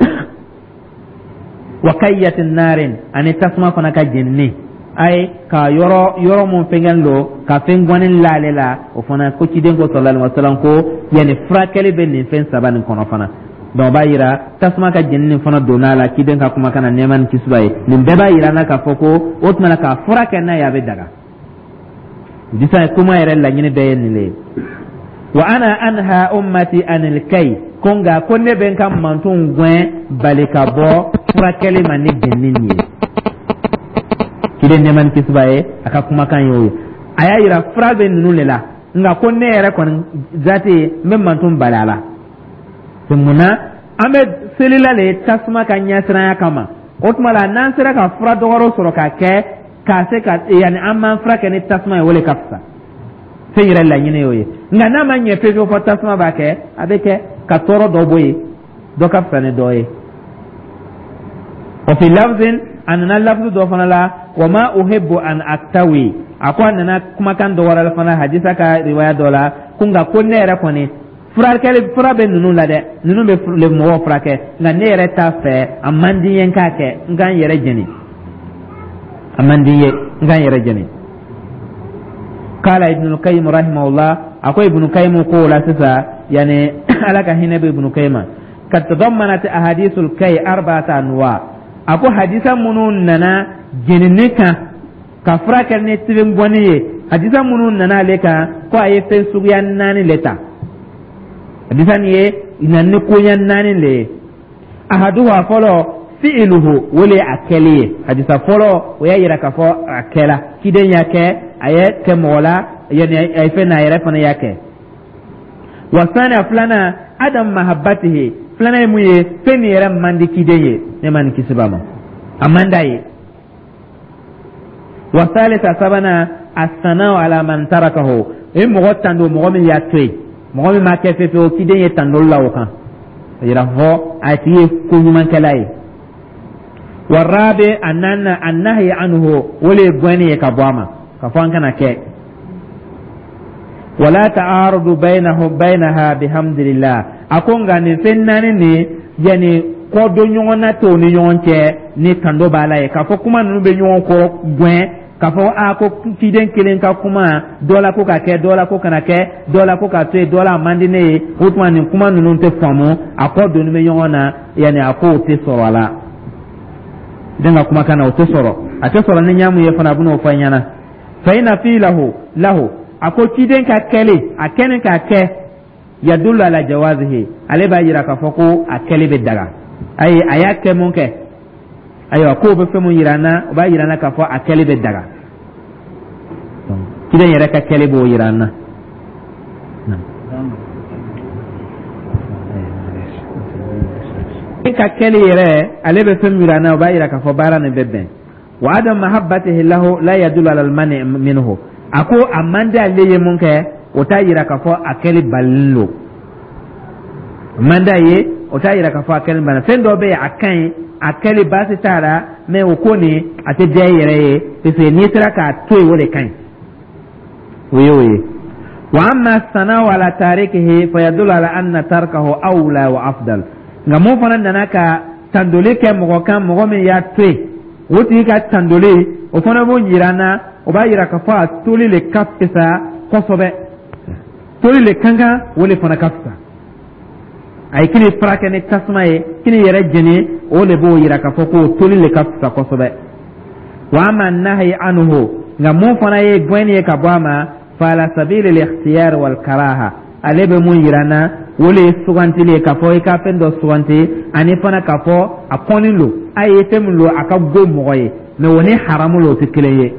وكية نار, ani tasuma fana ka jenini, ayi ka yɔrɔ yɔrɔ mun fɛngɛn don ka fɛn gɔni l'ale la, o fana ko ciden ko sallallahu alaihi wasallam ko yanni furakɛli bɛ nin fɛn saba nin kɔnɔ fana. Donc o b'a yira tasuma ka jenini nin fana donna a la ciden ka kumakan na, nɛɛma ni kisi b'a ye. Nin bɛɛ b'a yira n na k'a fɔ ko o tuma na k'a fura kɛ n'a ye, a bɛ daga. Disa kuma yɛrɛ laɲini bɛɛ ye nin de ye. وأنا أنهى أمتي عن الكي, ko nka ko ne bɛ n ka mantonw gɛn bali ka bɔ furakɛli ma ni jenini ye. Ciden, nɛɛma ni kisi b'a ye, a ka kumakan y'o ye. A y'a yira fura bɛ ninnu de la, nka ko ne yɛrɛ kɔni zati n bɛ manton bali a la. Munna an bɛ selila le tasuma ka ɲɛsiranya kama? O tuma la, n'an sera ka fura dɔgɔrɔ sɔrɔ k'a kɛ k'a se ka yanni an m'an fura kɛ ni tasuma ye, o de ka fisa. Fɛn yɛrɛ laɲini y'o ye. Nka n'a ma ɲɛ fewu fɔ tasuma b'a kɛ, a bɛ kɛ ka tɔɔrɔ dɔ bɔ yen, dɔ ka fisa ni dɔ ye. وفي لفظ, a nana lafzu dɔ fana la: وما أحب أن أكتوي. A ko a nana kumakan dɔ wɛrɛ fana, hadisa ka riwaya dɔ la, ko nka ko ne yɛrɛ kɔni furakɛli, fura bɛ ninnu la dɛ, ninnu bɛ mɔgɔw furakɛ, nka ne yɛrɛ t'a fɛ, a man di n ye n k'a kɛ, n k'an yɛrɛ jeni, a man di n ye n k'an yɛrɛ jeni. قال ابن القيم رحمه الله, a ko Ibn Qayyim ko la sisan, yani Ala ka hinɛ bɛ Ibn Qayyim: قد تضمنت أحاديث الكي أربعة أنواع. A ko hadisa minnu nana jenini kan, ka furakɛ ni tibengɔni ye, hadisa minnu nana ale kan, ko a ye fɛn suguya naani le ta. Hadisa nin ye na ni koɲɛ naani le ye. أحدها, fɔlɔ, فعله, o le ye a kɛli ye. Hadisa fɔlɔ, o y'a yira k'a fɔ a kɛla, ciden y'a kɛ, a ye kɛ mɔgɔ la, yanni a ye fɛn n'a yɛrɛ fana y'a kɛ. والثاني, filanan, عدم محبته, filanan ye mun ye? Fɛn min yɛrɛ man di ciden ye, ne ma nin kisi ba ma, a man d'a ye. والثالث, sabanan, الثناء على من تركه, o ye mɔgɔ tando, mɔgɔ min y'a to yen, mɔgɔ min m'a kɛ fefe, ciden ye tandoli la o kan, a yira fɔ a tigi ye ko ɲumankɛla ye. والرابع, a naaninan, النهي عنه, o le ye gɛnni ye ka bɔ a ma, ka fɔ an kana kɛ. ولا تعارض بينه بينها بحمد الله. A ko nka nin fɛn naani nin, yanni kɔdon ɲɔgɔn na t'o ni ɲɔgɔn cɛ ni tando b'a la ye, k'a fɔ kuma ninnu bɛ ɲɔgɔn kɔrɔ gɛn, k'a fɔ a ko ciden kelen ka kuma dɔ la ko ka kɛ, dɔ la ko kana kɛ, dɔ la ko ka to yen, dɔ la a man di ne ye, o tuma nin kuma ninnu tɛ faamu, a kɔ donni bɛ ɲɔgɔn na, yanni a ko o tɛ sɔrɔ a la. Den ka kumakan na, o tɛ sɔrɔ, a tɛ sɔrɔ ni ɲamu ye fana, a bɛn'o fɔ an ɲɛna. فإن فعله له, a ko ciden ka kɛli, a kɛni k'a kɛ, يدل على جوازه, ale b'a yira k'a fɔ ko a kɛli bɛ daga. Ayi, a y'a kɛ mun kɛ? Ayiwa, k'o bɛ fɛn mun yira an na? O b'a yira an na k'a fɔ a kɛli bɛ daga. Ciden yɛrɛ ka kɛli b'o yira an na. Ka kɛli yɛrɛ, ale bɛ fɛn min yira an na, o b'a yira k'a fɔ baara nin bɛ bɛn. وعدم محبته له لا يدل على المنع منه. A ko a man di ale ye mun kɛ, o t'a yira k'a fɔ a kɛli balilen don. Man d'a ye, o t'a yira k'a fɔ a kɛli banna. Fɛn dɔ bɛ yen, a ka ɲi, a kɛli baasi t'a la, mais o ko nin a tɛ diya i yɛrɛ ye, parce que n'i sera k'a to yen, o de ka ɲi. O ye o ye. Wa amma sana'u ala tarikihi fayadullu ala anna tarkahu awla wa afdal. Nka mun fana nana ka tandoli kɛ mɔgɔ kan, mɔgɔ min y'a to yen, o tigi ka tandoli, o fana b'o yira an na, o b'a yira k'a fɔ a toli le ka fisa kosɛbɛ, toli le kan kan, o le fana ka fisa. A ye kini furakɛ ni tasuma ye, kini yɛrɛ jeni, o de b'o yira k'a fɔ ko toli le ka fisa kosɛbɛ. Wa amma nahyi anhu, nka mun fana ye gɛnni ye ka bɔ a ma, fa ala sabili al-ikhtiyar wal karaha, ale bɛ mun yira n na, o le ye sugantili ye, k'a fɔ i ka fɛn dɔ suganti, ani fana k'a fɔ a kɔnnen don a ye fɛn min don, a ka go mɔgɔ ye, mais o ni haramu la, o tɛ kelen ye.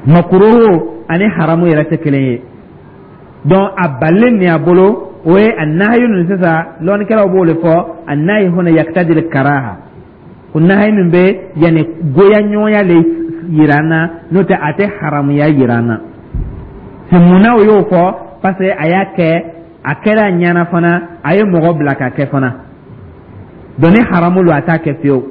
Makuruhu ani haramu yɛrɛ tɛ kelen ye. Donc a balilen nin a bolo, o ye a nahayu nin. Sisan lɔnnikɛlaw b'o de fɔ, a nahi huna yaktadil karaha, ko nahayu nin bɛ yanni goya ɲɔgɔnya le yira an na, n'o tɛ a tɛ haramuya yira an na. C'est munna o y'o fɔ? Parce que a y'a kɛ, a kɛra a ɲɛna fana, a ye mɔgɔ bila ka kɛ fana. Donc ni haramu don, a t'a kɛ fiyewu.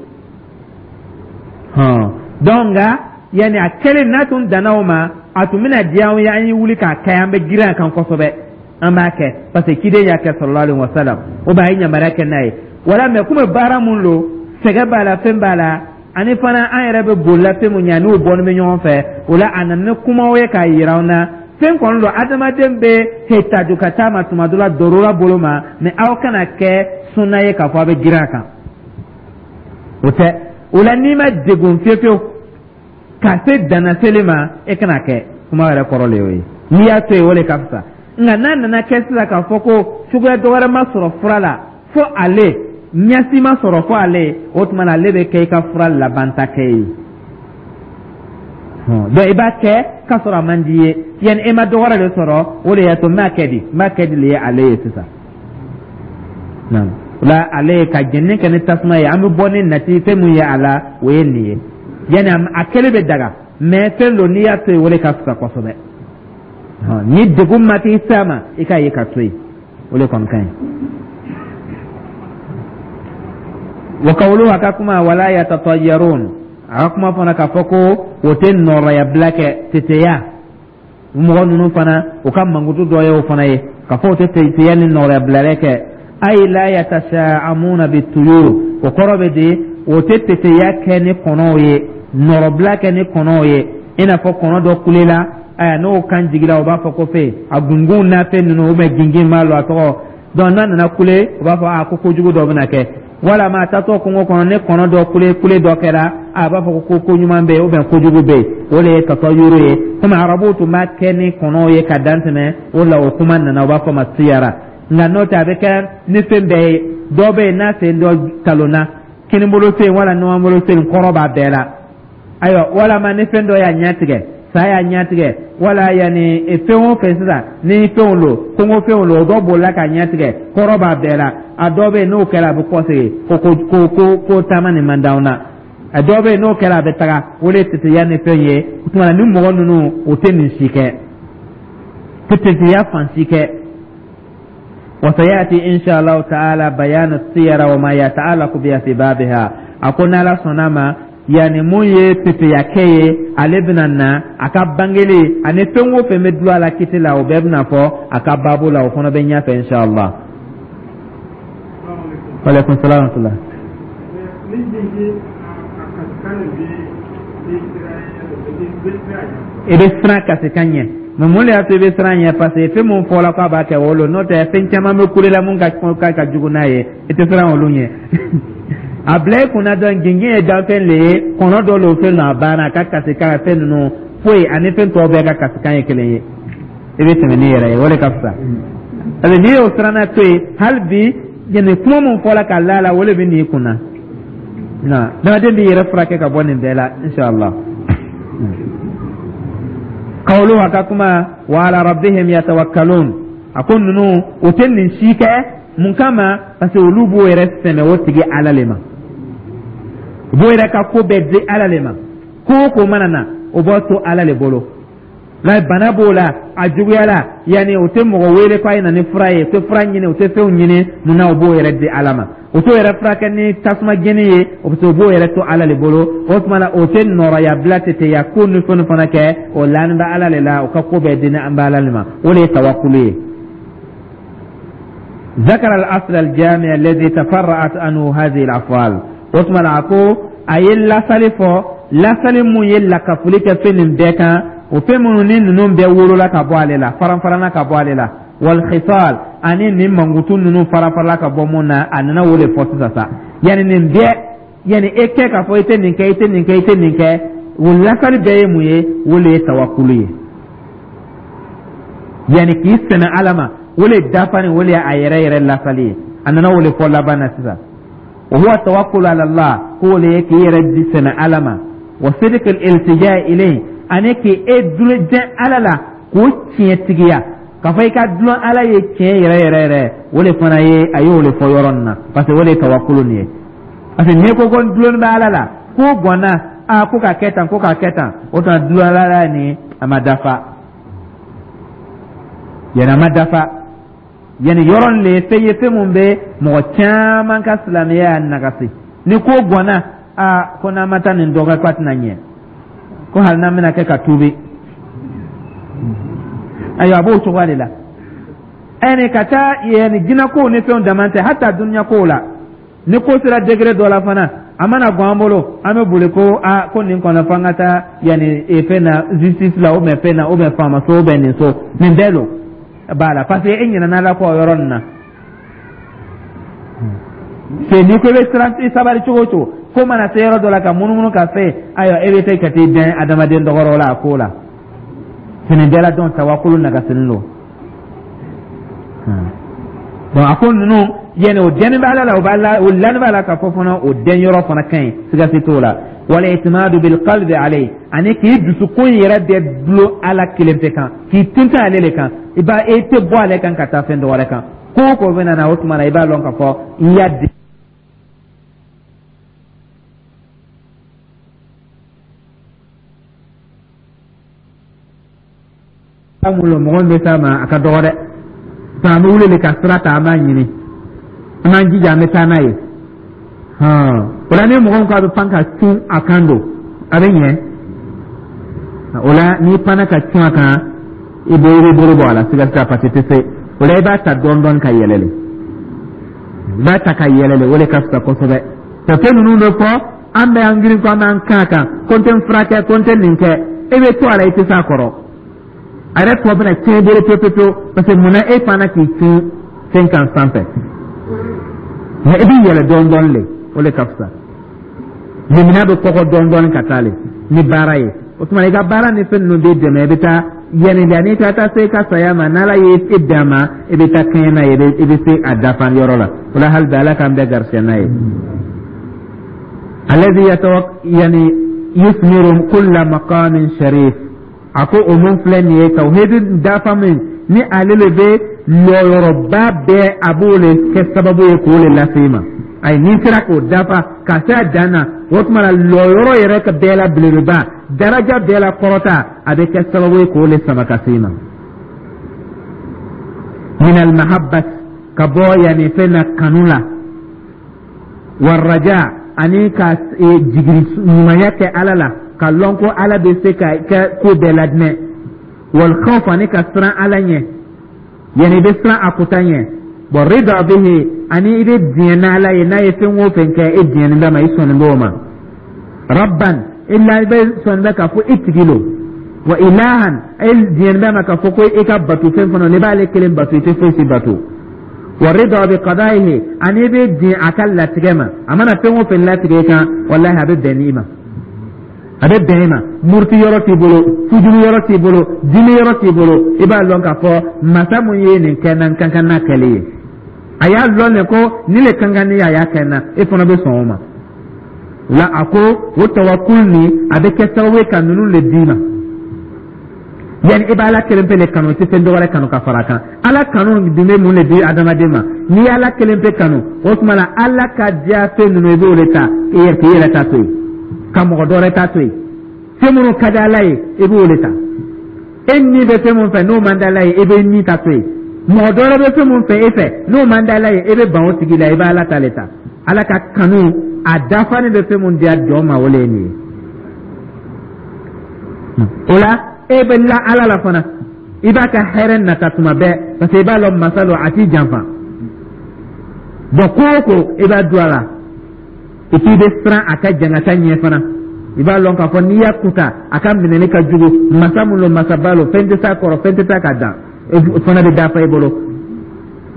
Hɔn, donc nka yanni a kɛlen n'a tun danna o ma, a tun bɛna diya an ye, an ye wuli k'a kɛ, an bɛ girin a kan kosɛbɛ, an b'a kɛ parce que ciden y'a kɛ sallallahu alaihi wa sallam, o b'a ye yamaruya kɛ n'a ye wala. Mais komi baara mun don, sɛgɛ b'a la, fɛn b'a la, ani fana an yɛrɛ bɛ bolila fɛn mun ɲɛ, n'o bɔnni bɛ ɲɔgɔn fɛ, o la a nana ni kumaw ye k'a yira an na. Fɛn kɔni don, adamaden bɛ hetaju ka taa ma tuma dɔ la dɔrɔra bolo ma, mais aw kana kɛ sunna ye k'a fɔ a bɛ girin a kan, o tɛ. O la n'i ma degun fiyewu fiyewu ka se dannaseli ma, e kana kɛ. Kuma yɛrɛ kɔrɔ le y'o ye. N'i y'a to yen, o de ka fisa. Nka n'a nana kɛ sisan k'a fɔ ko cogoya dɔ wɛrɛ ma sɔrɔ fura la fo ale, ɲɛsi ma sɔrɔ fo ale, o tuma na ale bɛ kɛ i ka fura labanta kɛ ye. Donc i b'a kɛ k'a sɔrɔ a man di ye, yanni e ma dɔ wɛrɛ de sɔrɔ, o de y'a to n b'a kɛ di, n b'a kɛ di le ye ale ye sisan. O la ale ye ka jɛnni kɛ ni tasuma ye, an bɛ bɔ ni nati fɛn mun ye a la, o ye nin ye. Yanni a kɛlen bɛ daga, mais fɛn don, n'i y'a to yen, o de ka fisa kosɛbɛ. Ni degun ma t'i s'a ma, i k'a ye ka to yen, o de kɔni ka ɲi. Wa kawulu, a ka kuma, wala yatatayyarun, a ka kuma fana k'a fɔ ko o tɛ nɔrɔyabila kɛ, teteya. Mɔgɔ ninnu fana, o ka mankutu dɔ ye o fana ye k'a fɔ o tɛ teteya ni nɔrɔyabilalen kɛ. Ay la yatasha'amuna bituyur, o kɔrɔ bɛ di, o tɛ teteya kɛ ni kɔnɔw ye, nɔrɔbila kɛ ni kɔnɔw ye, i n'a fɔ kɔnɔ dɔ kulela, aya n'o kan jiginna, o b'a fɔ ko fɛn a gungun n'a fɛn ninnu, ou bien gingin b'a lɔ a tɔgɔ. Donc n'a nana kule, o b'a fɔ a ko kojugu dɔ bɛna kɛ. Walama a taatɔ kungo kɔnɔ, ne kɔnɔ dɔ kule kule dɔ kɛra, a b'a fɔ ko ko ɲuman bɛ yen ou bien kojugu bɛ yen. O de ye tatayuru ye. Komi arabuw tun b'a kɛ ni kɔnɔw ye ka dan tɛmɛ, o la o kuma nana, o b'a fɔ ma siyara. Nka n'o tɛ, a bɛ kɛ ni fɛn bɛɛ ye. Dɔ bɛ yen, n'a sen dɔ talonna, kinibolo sen wala numanbolo sen, kɔrɔ b'a bɛɛ la. Ayiwa, walama ni fɛn dɔ y'a ɲɛ tigɛ, sa y'a ɲɛ tigɛ, wala yanni fɛn o fɛn sisan ni fɛnw don, kungo fɛnw don, o dɔ bolila k'a ɲɛ tigɛ, kɔrɔ b'a bɛɛ la. A dɔ bɛ yen, n'o kɛra, a bɛ kɔsegin ko ko ko ko ko taama nin man d'anw na. A dɔ bɛ yen, n'o kɛra, a bɛ taga. O de ye teteya ni fɛn ye. O tuma na ni mɔgɔ ninnu, o tɛ nin si kɛ, tɛ teteya fan si kɛ. وسيأتي إن شاء الله تعالى بيان الطيرة وما يتعلق بها في بابها. أكون لا صنما yani mun ye teteyakɛ ye, ale bɛna na a ka bangeli ani fɛn o fɛn bɛ dulon a la kiti la, o bɛɛ bɛna fɔ a ka baabu la, o fana bɛ ɲɛfɛ inshallah. Waaleykum salaam wa rahmatulah. Ni jigi a kasikan nin bɛ bɛ I bɛ siran kasikan ɲɛ, mais mun de y'a to i bɛ siran ɲɛ? Parce que fɛn mun fɔra k'a b'a kɛ, o lo. N'o tɛ, fɛn caman bɛ kule la mun ka ka ka jugu n'a ye, i tɛ siran olu ɲɛ. A bila i kunna dɔn, gingin ye danfɛn le ye, kɔnɔ dɔ le, fɛn nɔ a banna, a ka kasikan fɛn ninnu foyi ani fɛn tɔw bɛɛ ka kasikan ye kelen ye. I bɛ tɛmɛ n'i yɛrɛ ye, o de ka fisa, parce que n'i y'o siranna to yen, hali bi nin kuma mun fɔla ka la la, o de bɛ n'i kunna na. Adamaden b'i yɛrɛ furakɛ ka bɔ nin bɛɛ la inshallah. Kawulu, a ka kuma, wa ala rabbihim yatawakkalun, a ko ninnu o tɛ nin si kɛ. Mun kama? Parce que olu b'o yɛrɛ sɛmɛ o tigi Ala le ma, u b'o yɛrɛ ka ko bɛɛ di Ala le ma. Ko o ko mana na, o b'o to Ala le bolo. Nka bana b'o la, a juguyala, yanni o tɛ mɔgɔ wele k'a ye na ni fura ye, o tɛ fura ɲini, o tɛ fɛnw ɲini. Munna? O b'o yɛrɛ di Ala ma. O t'o yɛrɛ furakɛ ni tasuma jeni ye, o bɛ o b'o yɛrɛ to Ala le bolo. O tuma na, o tɛ nɔrɔya bila teteya ko ni fɛn fana kɛ, o lanin bɛ Ala le la, o ka ko bɛɛ di an bɛ Ala le ma. O de ye tawakulu ye. ذكر الأصل الجامع الذي تفرعت عنه هذه الأفعال. O tuma na, a ko a ye lasali fɔ, lasali mun ye lakafoli kɛ fɛn nin bɛɛ kan, o fɛn minnu ni ninnu bɛɛ wolola ka bɔ ale la, faranfaranna ka bɔ ale la, wal khisal, ani nin mankutu ninnu farafarala ka bɔ mun na, a nana o de fɔ sisan sa. Yanni nin bɛɛ, yanni e kɛ k'a fɔ i tɛ nin kɛ, i tɛ nin kɛ, i tɛ nin kɛ, o lasali bɛɛ ye mun ye? O de ye tawakulu ye, yanni k'i sɛmɛ Ala ma, o de dafani, o de ye a yɛrɛ yɛrɛ lasali ye. A nana o de fɔ laban na sisan. Wa huwa tawakkulu ala Allah, k'o de ye k'i yɛrɛ di sɛmɛ Ala ma, wa sidq al-iltija ilayhi, ani k'e dulon jɛn Ala la k'o tiɲɛtigiya, k'a fɔ i ka dulon Ala ye tiɲɛ yɛrɛ yɛrɛ yɛrɛ. O de fana ye, a y'o de fɔ yɔrɔ nin na, parce que o de ye tawakulu nin ye. Parce que n'i ko ko n dulon bɛ Ala la, ko gɔnna a ko k'a kɛ tan, ko k'a kɛ tan, o tuma dulon Ala la nin, a ma dafa, yanni a ma dafa. Yanni yɔrɔ nin de ye fɛn ye, fɛn mun bɛ mɔgɔ caman ka silamɛya nagasi. Ni ko gɔnna, a ko n'an ma taa nin dɔ kɛ, k'a tɛna ɲɛ, ko hali n'an bɛna kɛ ka tuubi. Ayiwa, a b'o cogoya de la. Ɛni ka taa yanni jinɛkow ni fɛnw dama tɛ, hata dunuya kow la, ni ko sera degré dɔ la fana, a mana gan an bolo, an bɛ boli ko a ko nin kɔnɔ fo an ka taa yanni fɛn na, justice la, ou bien fɛn na, ou bien faama so, ou bien nin so nin bɛɛ don b'a la, parce que e ɲinɛna Ala kɔ o yɔrɔ nin na. Se n'i ko i bɛ siran, i sabali cogo o cogo, ko mana se yɔrɔ dɔ la ka munumunu ka fɛ, ayiwa, e bɛ se ka t'i dɛn adamaden dɔgɔrɔ la a ko la fini bɛɛ la. Dɔn tawakulu nagasinin don. Donc a ko ninnu, yanni o dɛnni bɛ Ala la, o b'a la, o lani b'a la k'a fɔ fana o dɛn yɔrɔ fana ka ɲi, siga si t'o la. Wal i'timadu bil qalbi alayhi, ani k'i dusukun yɛrɛ bɛɛ dulon Ala kelen pe kan, k'i tintin ale le kan, i b'a e tɛ bɔ ale kan ka taa fɛn dɔ wɛrɛ kan. Ko o ko bɛ na, o tuma na i b'a lɔn k'a fɔ i y'a di. Mun lo mɔgɔ min bɛ s'a ma, a ka dɔgɔ dɛ. An bɛ wuli de ka sira ta, an b'a ɲini, an b'an jija, an bɛ taa n'a ye. O la ni mɔgɔ min ko a bɛ pan ka cun a kan don, a bɛ ɲɛ. O la n'i panna ka cun a kan, i bɛ i bɛ bolo bɔ a la, siga t'a, parce que tɛ se o la. I b'a ta dɔɔni dɔɔni ka yɛlɛ le, i b'a ta ka yɛlɛ le, o de ka fisa kosɛbɛ. Fɛn ninnu bɛ fɔ, an bɛ an girin ko an b'an kan kan, ko n tɛ n furakɛ, ko n tɛ nin kɛ, e bɛ to a la, i tɛ s'a kɔrɔ, a yɛrɛ tɔ bɛna tiɲɛ i bolo pewu pewu, parce que munna e fana k'i cun fɛn kan sanfɛ? Mɛ i bɛ yɛlɛ dɔɔni dɔɔni le, o de ka fisa. Limina bɛ kɔgɔ dɔɔni dɔɔni ka taa le ni baara ye. O tuma i ka baara ni fɛn ninnu b'i dɛmɛ, i bɛ taa yanni da n'i ka taa se i ka saya ma, n'Ala ye e bɛn a ma, i bɛ taa kɛɲɛ n'a ye, i bɛ se a dafa yɔrɔ la. O la hali bi, Ala k'an bɛɛ garisɛgɛ n'a ye. Alladhi yatawak yani yusmiru kulla maqamin sharif. A ko o mun filɛ nin ye, tawhidu dafa min ni ale le bɛ lɔyɔrɔba bɛɛ, a b'o le kɛ sababu ye k'o le lase i ma. Ayi, n'i sera k'o dafa ka se a dan na, o tuma na lɔyɔrɔ yɛrɛ ka bɛɛ la belebeleba, daraja bɛɛ la kɔrɔta, a bɛ kɛ sababu ye k'o le sama ka se i ma. Min almahabbat, ka bɔ yanni fɛn na, kanu la, waraja, ani ka jigin ɲumanya kɛ Ala la, ka lɔn ko Ala bɛ se ka kɛ ko bɛɛ ladinɛ, wal khawf, ani ka siran Ala ɲɛ, yanni i bɛ siran a kuta ɲɛ, bon rida bihi, ani i bɛ diɲɛ n'Ala ye, n'a ye fɛn o fɛn kɛ, e diɲɛnen bɛ ma, i sɔnnen b'o ma, rabban, illa i bɛ sɔnnen bɛ k'a fɔ i tigi lo, wa ilahan, e diɲɛnen bɛ ma k'a fɔ ko i ka bato fɛn fana, n'i b'ale kelen bato, i tɛ foyi si bato, wa rida bi qada'ihi, ani i bɛ diɲɛ a ka latigɛ ma, a mana fɛn o fɛn latigɛ i kan, walahi a bɛ bɛn n'i ma, a bɛ bɛn i ma. Muruti yɔrɔ t'i bolo, fujuru yɔrɔ t'i bolo, dimi yɔrɔ t'i bolo. I b'a lɔn k'a fɔ masa mun ye nin kɛ n na, n ka kan n'a kɛli ye, a y'a lɔn de ko nin le ka kan ni a y'a kɛ n na, e fana bɛ sɔn o ma. La a ko o tawakul nin, a bɛ kɛ sababu ye ka ninnu le d'i ma. Yanni i b'Ala kelen pe le kanu, i tɛ fɛn dɔ wɛrɛ kanu ka fara a kan. Ala kanu dun bɛ mun de di adamaden ma? N'i ye Ala kelen pe kanu, o tuma la Ala ka diya fɛn ninnu, i b'o de ta i yɛrɛ k'i yɛrɛ ta to yen, ka mɔgɔ dɔ wɛrɛ ta to yen. Fɛn minnu ka di Ala ye, i b'o de ta. E ni bɛ fɛn mun fɛ, n'o man di Ala ye, e bɛ ni ta to yen. Mɔgɔ dɔ wɛrɛ bɛ fɛn mun fɛ e fɛ, n'o man di Ala ye, e bɛ ban o tigi la, i bɛ Ala ta le ta. Ala ka kanu a dafalen bɛ fɛn mun diya jɔn ma, o le ye nin ye. O la, e bɛ la Ala la fana, i b'a ka hɛrɛ nata tuma bɛɛ, parce que i b'a lɔn masa lo, a t'i janfa. Bon, ko o ko, i b'a don a la. Et puis i bɛ siran a ka jangata ɲɛ fana. I b'a lɔn k'a fɔ n'i y'a kuta, a ka minɛli ka jugu. Masa mun lo, masaba lo, fɛn tɛ s'a kɔrɔ, fɛn tɛ taa ka dan, o fana bɛ dafa i bolo.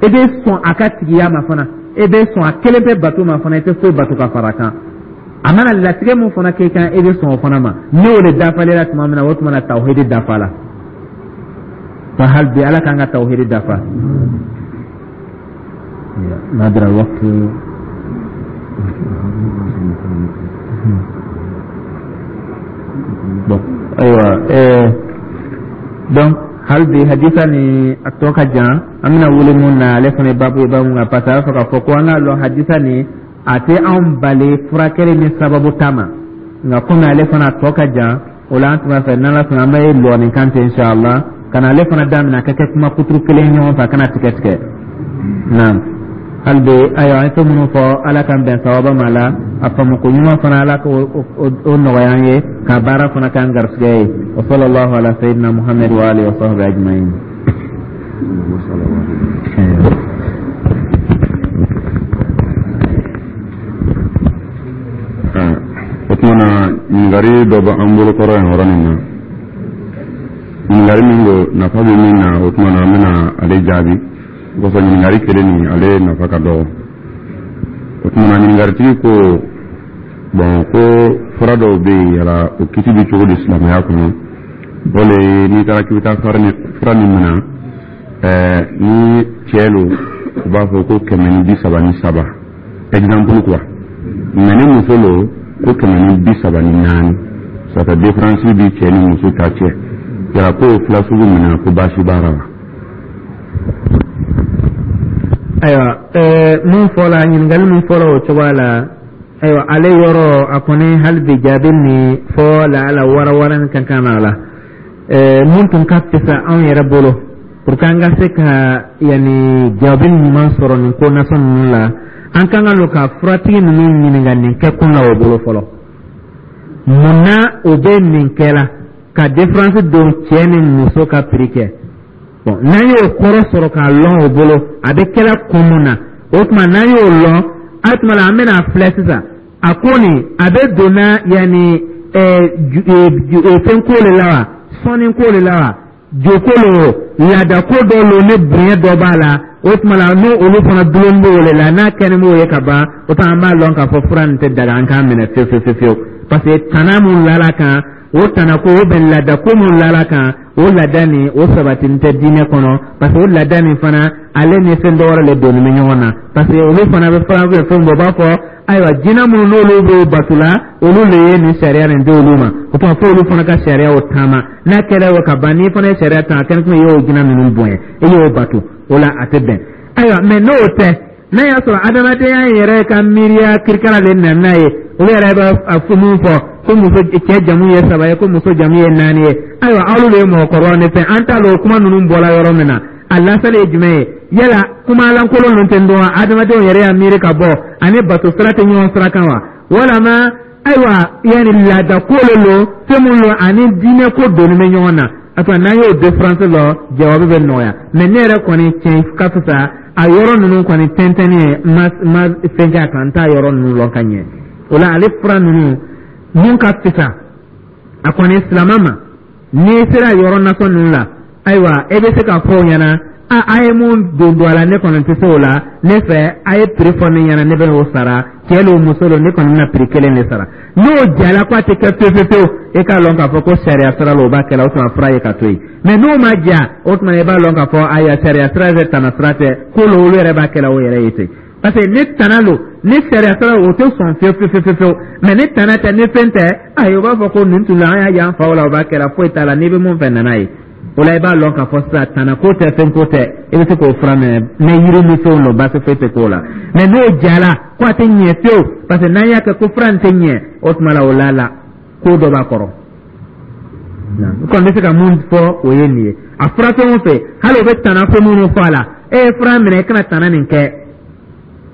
I bɛ sɔn a ka tigiya ma fana, i bɛ sɔn a kelen bɛ bato ma fana, i tɛ foyi bato ka fara a kan. A mana latigɛ mun fana k'i kan, i bɛ sɔn o fana ma. N'o de dafalen tuma min na, o tuma na tawhidi dafa la. Fa hali bi, Ala k'an ka tawhidi dafa. نادر الوقت. Bon, ayiwa, eh, donc hali bi hadisa ni a tɔ ka jan. An bɛna wuli mun na, ale fana ye babu ye, babu mun kan, parce que a b'a fɛ k'a fɔ ko an k'a lɔn hadisa ni a tɛ anw bali furakɛli ni sababu ta ma. Nka komi ale fana a tɔ ka jan, o la an tun b'a fɛ, n'Ala sɔnna, an bɛ lɔ nin kan ten, inshallah, ka na ale fana daminɛ, a ka kɛ kuma kuturu kelen ɲɔgɔn fɛ, a kana tigɛ tigɛ. Naam, hali bi, ayiwa, an ye fɛn minnu fɔ, Ala k'an bɛn sawaba ma la. A faamuko ɲuman fana, Ala k'o o nɔgɔya an ye, ka baara fana k'an garisɛgɛ ye. Wa sallallahu ala sayyidina Muhammad wa alihi wa sahbihi ajma'in. O tuma na, ɲininkali dɔ bɛ an bolo kɔrɔ yan yɔrɔ nin na. Ɲininkali min don, nafa bɛ min na, o tuma na an bɛna ale jaabi kosɔn. Ɲininkali kelen nin, ale nafa ka dɔgɔ. O tuma na, ɲininkalitigi ko bɔn, ko fura dɔw bɛ yen, yala o kiti bɛ cogo di silamɛya kɔnɔ? O le ye, n'i taara k'i bɛ taa fura min minɛ, ɛɛ ni cɛ lo, u b'a fɔ ko kɛmɛ ni bi saba ni saba, exemple quoi, mais ni muso lo, ko kɛmɛ ni bi saba ni naani. Ça fait différence bi cɛ ni muso ta cɛ. Yala ko o fila sugu minɛ, ko baasi b'a la wa? Ayiwa, ɛɛ mun fɔla, ɲininkali mun fɔla o cogoya la, ayiwa, ale yɔrɔ a kɔni, hali bi jaabi ni fɔ la ala warawarani ka kan a la. ɛɛ mun tun ka fisa anw yɛrɛ bolo pour que an ka se ka yanni jaabi ɲuman sɔrɔ nin ko nasɔn ninnu la, an kan ka lo ka furatigi ninnu ɲininka nin kɛkun la o bolo fɔlɔ. Mun na o bɛ nin kɛ la ka différence don cɛ ni muso ka prix kɛ? Bon, n'an y'o kɔrɔ sɔrɔ k'a lɔn o bolo, a bɛ kɛla kun mun na, o tuma n'an y'o lɔn, a tuma la an bɛna filɛ sisan. A ko nin a bɛ donna yanni ɛɛ fɛn ko le la wa, sɔnni ko le la wa, joko lo, laada ko dɔ lo, ni bonya dɔ b'a la, o tuma la n'o olu fana dulon b'o le la, n'a kɛlen b'o ye ka ban, o tuma an b'a lɔn k'a fɔ fura nin tɛ daga, an k'a minɛ fewu fewu fewu, parce que tana mun lala kan, o tana ko, o bɛn laada ko mun lala kan, o laada nin, o sabatini tɛ diinɛ kɔnɔ, parce que o laada nin fana, ale ni fɛn dɔ wɛrɛ le donni bɛ ɲɔgɔn na, parce que olu fana bɛ fana bɛ fɛn bɔ, u b'a fɔ ayiwa, jinɛ minnu n'olu b'o bato la, olu le ye nin sariya nin di olu ma. O tuma fo olu fana ka sariya o taama. N'a kɛra o ka ban, n'i fana ye sariya ta, a kɛra komi i y'o jinɛ ninnu bonya, i y'o bato, o la a tɛ bɛn. Ayiwa, mɛ n'o tɛ, n'a y'a sɔrɔ adamadenya yɛrɛ ka miiriya kirikara le nana n'a ye, olu yɛrɛ b'a fɔ mun fɔ ko muso cɛ jamu ye saba ye, ko muso jamu ye naani ye, ayiwa, aw de ye mɔgɔkɔrɔbaw ne fɛ, an t'a dɔn o kuma ninnu bɔra yɔrɔ min na, a lasali ye jumɛn ye. Yala kuma lankolon ninnu tɛ dɔn adamadenw yɛrɛ y'a miiri ka bɔ ani bato sira tɛ ɲɔgɔn sira kan wa? Walama ayiwa, yanni laada ko le lo, fɛn mun lo ani diinɛ ko donni bɛ ɲɔgɔn na. A tuma n'an y'o différence lɔ, jawabi bɛ nɔgɔya. Mɛ ne yɛrɛ kɔni, tiɲɛ ka fisa a yɔrɔ ninnu kɔni tɛntɛnni ye, ma ma fɛn kɛ a kan, n t'a yɔrɔ ninnu lɔn ka ɲɛ. O la, ale fura ninnu mun ka fisa a kɔni silamɛ ma, n'i sera yɔrɔ nasɔn ninnu la, ayiwa, e bɛ se k'a fɔ o ɲɛna a a ye mun don don a la, ne kɔni tɛ se o la. Ne fɛ, a ye prix fɔ ne ɲɛna, ne bɛ n'o sara. Cɛ lo, muso lo, ne kɔni bɛna prix kelen de sara. N'o jala ko a tɛ kɛ fewu fewu fewu, e k'a lɔn k'a fɔ ko sariya sira la, o b'a kɛ la, o tuma fura ye ka to yen. Mɛ n'o ma ja, o tuma i b'a lɔn k'a fɔ ayiwa, sariya sira tɛ, tana sira tɛ ko lo, olu yɛrɛ b'a kɛ la o yɛrɛ ye ten, parce que ni tana lo, ni sariya sira, o tɛ sɔn fewu fewu fewu fewu. Mɛ ni tana tɛ, ni fɛn tɛ, ayi, o b'a fɔ ko nin tun la, an y'a y'an faw la, o b'a kɛ la, foyi t'a la, n'i bɛ mun fɛ, nana ye. O la, i b'a lɔn k'a fɔ sisan tana ko tɛ, fɛn ko tɛ, i bɛ se k'o fura minɛ. Ni yiri ni fɛnw don, baasi foyi tɛ k'o la. Mɛ n'o jala ko a tɛ ɲɛ fewu, parce que n'an y'a kɛ ko fura nin tɛ ɲɛ, o tuma la o la la ko dɔ b'a kɔrɔ. N kɔni bɛ se ka mun fɔ, o ye nin ye. A fura fɛn o fɛn, hali o bɛ tana ko minnu fɔ a la, e ye fura minɛ, i kana tana nin kɛ.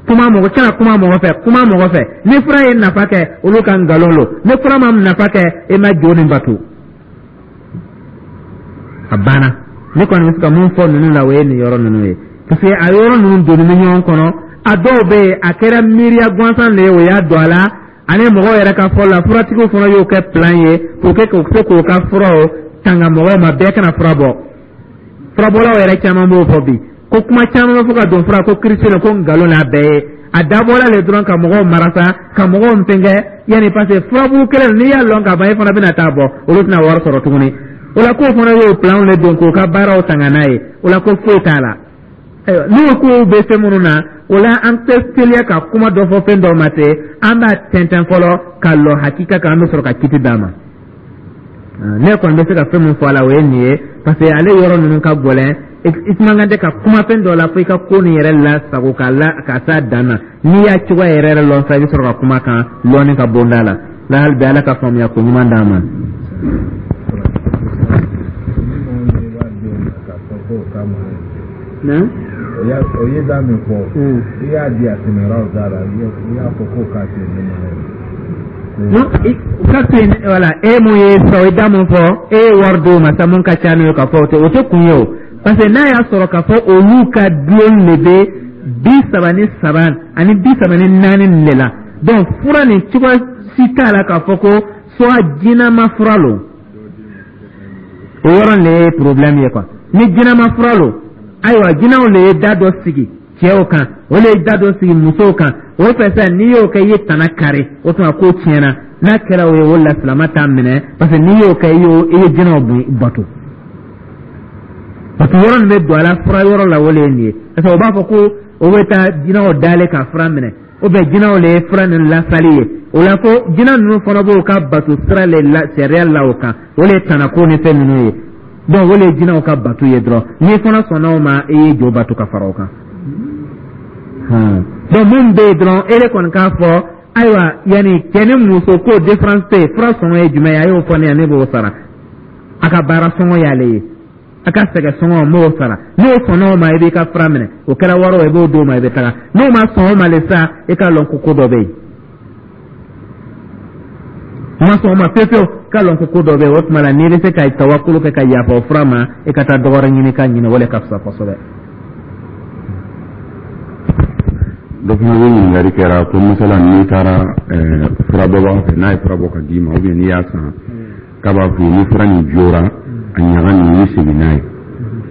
Kuma mɔgɔ kana kuma mɔgɔ fɛ, kuma mɔgɔ fɛ. Ni fura ye nafa kɛ, olu ka nkalon lo. Ni fura ma nafa kɛ, e ma jo nin bato, a banna. Ne kɔni bɛ se ka mun fɔ ninnu la, o ye nin yɔrɔ ninnu ye, parce que a yɔrɔ ninnu donni bɛ ɲɔgɔn kɔnɔ. A dɔw bɛ yen, a kɛra miiriya gansan de ye, o y'a don a la. Ani mɔgɔw yɛrɛ ka fɔ la, furatigiw fana y'o kɛ plan ye k'o kɛ k'o se k'o ka furaw tanga mɔgɔw ma, bɛɛ kana fura bɔ. Furabɔlaw yɛrɛ caman b'o fɔ bi ko kuma caman bɛ fɔ ka don fura ko kirisi ko nkalon n'a bɛɛ ye. A dabɔla le dɔrɔn ka mɔgɔw marasa, ka mɔgɔw fɛnkɛ yanni, parce que furabulu kelen, n'i y'a lɔn ka ban, e fana bɛna taa bɔ, olu tɛna wari sɔrɔ tuguni. O la, k'o fana y'o plan de don k'o ka baaraw tanga n'a ye. O la, ko foyi t'a la. Ayiwa, n'o kow bɛ fɛn minnu na, o la an tɛ teliya ka kuma dɔ fɔ fɛn dɔ ma ten. An b'a tɛntɛn fɔlɔ ka lɔ hakika kan, an bɛ sɔrɔ ka kiti d'a ma. Ne kɔni bɛ se ka fɛn min fɔ a la, o ye nin ye, parce que ale yɔrɔ ninnu ka gɛlɛn. I man kan tɛ ka kuma fɛn dɔ la fo i ka ko nin yɛrɛ lasago ka la ka s'a dan na. N'i y'a cogoya yɛrɛ yɛrɛ lɔn sa, i bɛ sɔrɔ ka kuma kan lɔnni ka bonda la la. Hali bi, Ala ka faamuya ko ɲuman d'an ma. O ye da min fɔ, i y'a di a tɛmɛra o da la, i y'a fɔ ko k'a to yen ne ma. Non, ka to yen, voilà. E mun ye sisan, o ye da mun fɔ, e ye wari d'o ma sa, mun ka ca n'o ye, ka fɔ o tɛ o tɛ kun ye o, parce que n'a y'a sɔrɔ k'a fɔ olu ka dulon de bɛ bi saba ni saba ani bi saba ni naani nin de la. Donc fura nin, cogoya si t'a la k'a fɔ ko soit jinama fura lo. O yɔrɔ de ye problème ye quoi. Ni jinama fura lo, ayiwa, jinɛw de ye da dɔ sigi cɛw kan, o de ye da dɔ sigi musow kan. O fɛ sisan, n'i y'o kɛ, i ye tana kari, o tuma ko tiɲɛna. N'a kɛra o ye, o la silama t'a minɛ, parce que n'i y'o kɛ, i y'o i ye jinɛw bato, parce que yɔrɔ nin bɛ don a la fura yɔrɔ la, o de ye nin ye. Parce que o b'a fɔ ko o bɛ taa jinɛw dalen ka fura minɛ, o bɛ jinɛw de ye fura ninnu lasali ye. O la, ko jinɛ ninnu fana b'o ka bato sira le la, sariya la o kan, o de ye tanako ni fɛn ninnu ye. Donc o de ye jinɛw ka bato ye dɔrɔn. N'i fana sɔnna o ma, i ye jo bato ka fara o kan. Donc mun bɛ yen dɔrɔn, e de kɔni k'a fɔ ayiwa, yanni cɛ ni muso ko différence tɛ yen. Fura sɔngɔ ye jumɛn ye? A y'o fɔ ne ye, ne b'o sara. A ka baara sɔngɔ y'ale ye, a ka sɛgɛ sɔngɔ, n b'o sara. N'o sɔnna o ma, i b'i ka fura minɛ. O kɛra wari o, i b'o d'o ma, i bɛ taga. N'o ma sɔn o ma le sa, i k'a lɔn ko ko dɔ bɛ yen. O ma sɔn o ma pewu pewu, k'a lɔn ko ko dɔ bɛ yen. O tuma la, n'i bɛ se ka tawakulu kɛ ka yafa o fura ma, i ka taa dɔ wɛrɛ ɲini ka ɲini, o de ka fisa kosɛbɛ. Dɔ fana bɛ ɲininkali kɛra ko masala, n'i taara furabɔbaga fɛ, n'a ye fura bɔ ka d'i ma, ou bien n'i y'a san, k'a b'a f'i ye ni fura nin jora, a ɲaga nin, i bɛ segin n'a ye,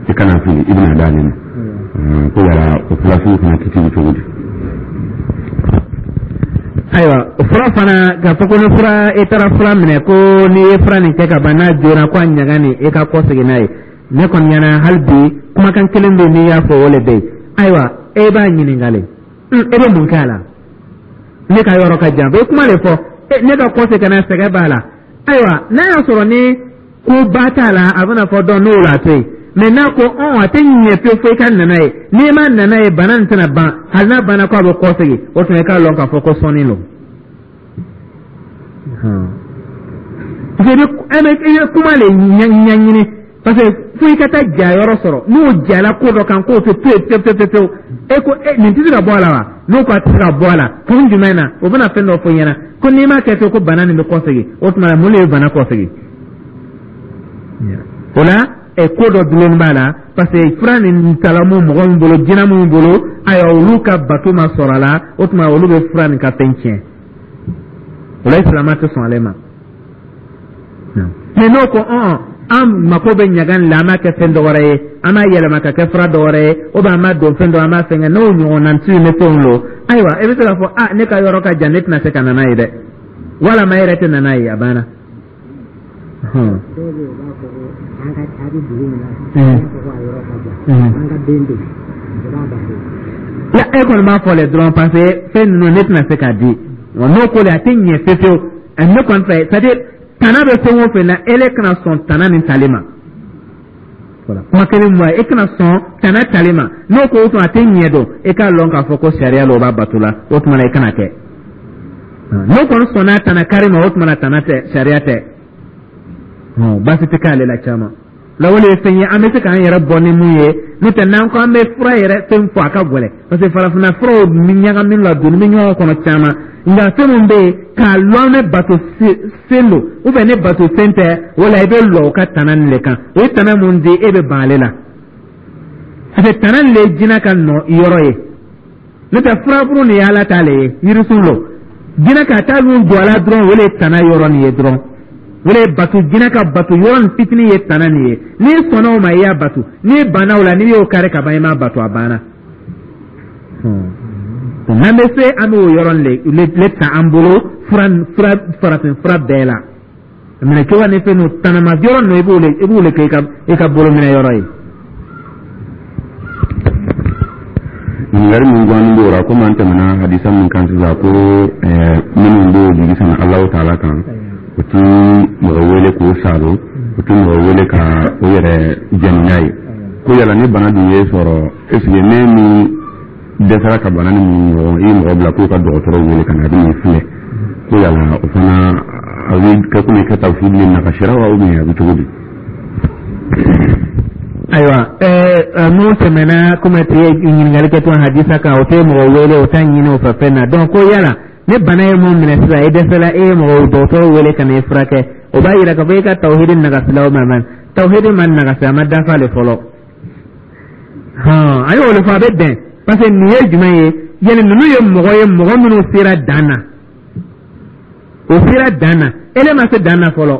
i kana fili, i bɛna d'ale ma. Ko yala o fura sugu fana kiti bɛ cogo di? Ayiwa, o fura fana, k'a fɔ ko ni fura, i taara fura minɛ, ko n'i ye fura nin kɛ ka ban, n'a jora, ko a ɲaga nin, i ka kɔ segin n'a ye. Ne kɔni ɲɛna, hali bi kumakan kelen bɛ yen, n'i y'a fɔ, o de bɛ yen. Ayiwa, e b'a ɲininkali, e bɛ mun kɛ a la? Ne ka yɔrɔ ka jan, o kuma de fɔ ne ka kɔ segin ka na, sɛgɛn b'a la. Ayiwa, n'a y'a sɔrɔ ni ko ba t'a la, a bɛna fɔ dɔn n'o la to yen. Mɛ n'a ko ɔn a tɛ ɲɛ pewu fo i ka nana ye, n'i ma nana ye, bana nin tɛna ban. Hali n'a banna, ko a bɛ kɔ segin, o tuma i k'a lɔn k'a fɔ ko sɔnni don. Parce que i bɛ kuma de ɲɛɲini, parce que fo i ka taa ja yɔrɔ sɔrɔ. N'o jala ko dɔ kan, k'o tɛ to yen pewu pewu pewu, e ko e nin tɛ se ka bɔ a la wa? N'o ko a tɛ se ka bɔ a la, kun jumɛn na? O bɛna fɛn dɔ fɔ i ɲɛna ko n'i m'a kɛ ten, ko bana nin bɛ kɔsegin. O tuma mun de ye bana kɔsegin? O la, ɛ ko dɔ dulonni b'a la, parce que fura nin tala mun mɔgɔ min bolo, jinɛ min bolo, ayiwa, olu ka bato ma sɔrɔ a la. O tuma olu bɛ fura nin ka fɛn tiɲɛ. O la, silamɛ tɛ sɔn ale ma. Mɛ n'o ko ɔn an mako bɛ ɲaga nin la, an b'a kɛ fɛn dɔ wɛrɛ ye, an b'a yɛlɛma ka kɛ fura dɔ wɛrɛ ye, ou bien an b'a don fɛn dɔ, an b'a fɛn kɛ n'o ɲɔgɔnna ci ni fɛnw don. Ayiwa, e bɛ se k'a fɔ a ne ka yɔrɔ ka jan, ne tɛna se ka na n'a ye dɛ, walama e yɛrɛ tɛ na n'a ye, a banna. Dɔw bɛ yen, u b'a fɔ ko an ka a bɛ dugu min na, an b'a fɔ ko a yɔrɔ ka jan, an ka den bɛ yen, o b'a bato. La e kɔni b'a fɔ le dɔrɔn, parce que fɛn ninnu, ne tɛna se k'a di wa. N'o ko le a tɛ ɲɛ fewu fewu, ne kɔni fɛ, c'est à dire tana bɛ fɛn o fɛn na, ele kana sɔn tana nin tali ma. Voilà, kuma kelen mun ye, e kana sɔn tana tali ma. N'o ko o tuma a tɛ ɲɛ dɔn, e k'a lɔn k'a fɔ ko sariya la, o b'a bato la, o tuma na i kana kɛ. N'o kɔni sɔnna tana kari ma, o tuma na tana tɛ, sariya tɛ. Baasi tɛ k'ale la caman la. O de ye fɛn ye an bɛ se k'an yɛrɛ bɔ ni mun ye. N'o tɛ, n'an ko an bɛ fura yɛrɛ fɛn fɔ, a ka gɛlɛn, parce que farafinna furaw ni ɲagami la, donni bɛ ɲɔgɔn kɔnɔ caman. Nka fɛn min bɛ yen k'a lɔn ne bato sen don ou bien ne bato sen tɛ, o la i bɛ lɔ o ka tana nin de kan. O ye tana mun di, e bɛ ban ale la, parce que tana nin de ye jinɛ ka nɔ yɔrɔ ye. N'o tɛ, furaburu nin ye Ala t'ale ye, yirisun lo, jinɛ ka taa nun don a la dɔrɔn, o de ye tana yɔrɔ nin ye dɔrɔn. O de ye bato, jinɛ ka bato yɔrɔ nin fitinin ye tana nin ye. N'i sɔnna o ma, i y'a bato. N'i banna o la, n'i y'o kari ka ban, i m'a bato, a banna. N'an bɛ se, an bɛ o yɔrɔ le le ta an bolo fura fura farafin fura bɛɛ la minɛ cogo ni fɛn ninnu tanama yɔrɔ ninnu, i b'o le i b'o le kɛ i ka i ka bolo minɛ yɔrɔ ye. Ɲininkali min guwanin b'o la, komi an tɛmɛna hadisa min kan sisan ko minnu b'o jigi sɛmɛ Alahu taala kan, o ti mɔgɔ wele k'o salo, o ti mɔgɔ wele ka o yɛrɛ jɛni n'a ye. Ko yala ni bana dun ye sɔrɔ, est ce que ne min dɛsɛra ka bana ni mun ɲɔgɔn, i ye mɔgɔ bila k'o ka dɔgɔtɔrɔ wele ka na, a bɛ n'i filɛ, ko yala o fana a bɛ kɛ komi ka tawhid ni nakasira wa, ou bien a bɛ cogo di? Ayiwa, ɛɛ mun tɛmɛna, komi tɛ ɲininkali kɛ to hadisa kan, o tɛ mɔgɔ wele, o t'a ɲini o fɛ fɛn na. Donc ko yala ni bana ye mun minɛ sisan, i dɛsɛla, e ye mɔgɔ dɔgɔtɔrɔ wele ka na i furakɛ, o b'a yira k'a fɔ e ka tawhidi nagasila o ma man tawhidi ma nagasi, a ma dafa le fɔlɔ. Hɔn, a y'o de fɔ, a bɛ bɛn, parce que nin ye jumɛn ye? Yali ninnu ye mɔgɔ ye, mɔgɔ minnu sera dan na, o sera dan na, ele ma se dan na fɔlɔ.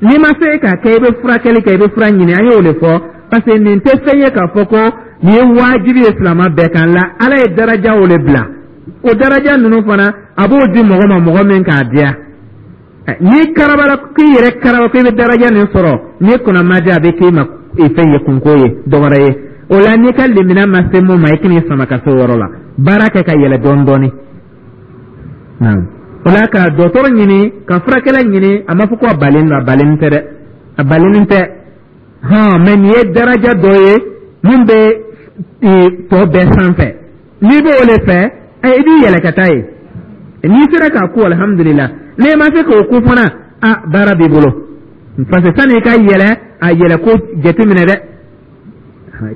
N'i ma se k'a kɛ, i bɛ furakɛli kɛ, i bɛ fura ɲini. An y'o de fɔ, parce que nin tɛ fɛn ye k'a fɔ ko nin ye wajibi ye silamɛ bɛɛ kan la. Ala ye daraja o de bila, o daraja ninnu fana, a b'o di mɔgɔ ma, mɔgɔ min k'a diya. N'i karabala k'i yɛrɛ karaba k'i bɛ daraja nin sɔrɔ, n'i kunna ma diya, a bɛ k'i ma fɛn ye, kunko ye, dɔwɛrɛ ye. O la, n'i ka limina ma se mun ma, i kan'i sama ka se o yɔrɔ la, baara kɛ ka yɛlɛ dɔɔni dɔɔni. O la, ka dɔgɔtɔrɔ ɲini, ka furakɛla ɲini, a ma fɔ ko a balen don, a balen tɛ dɛ, a balen tɛ. Hɔn, mɛ nin ye daraja dɔ ye mun bɛ tɔ bɛɛ sanfɛ. N'i b'o de fɛ, i b'i yɛlɛ ka taa yen. N'i sera k'a ko, alihamudulila. N'i ma se k'o ko fana, a baara b'i bolo, parce que sanni i ka yɛlɛ, a yɛlɛ ko jateminɛ dɛ,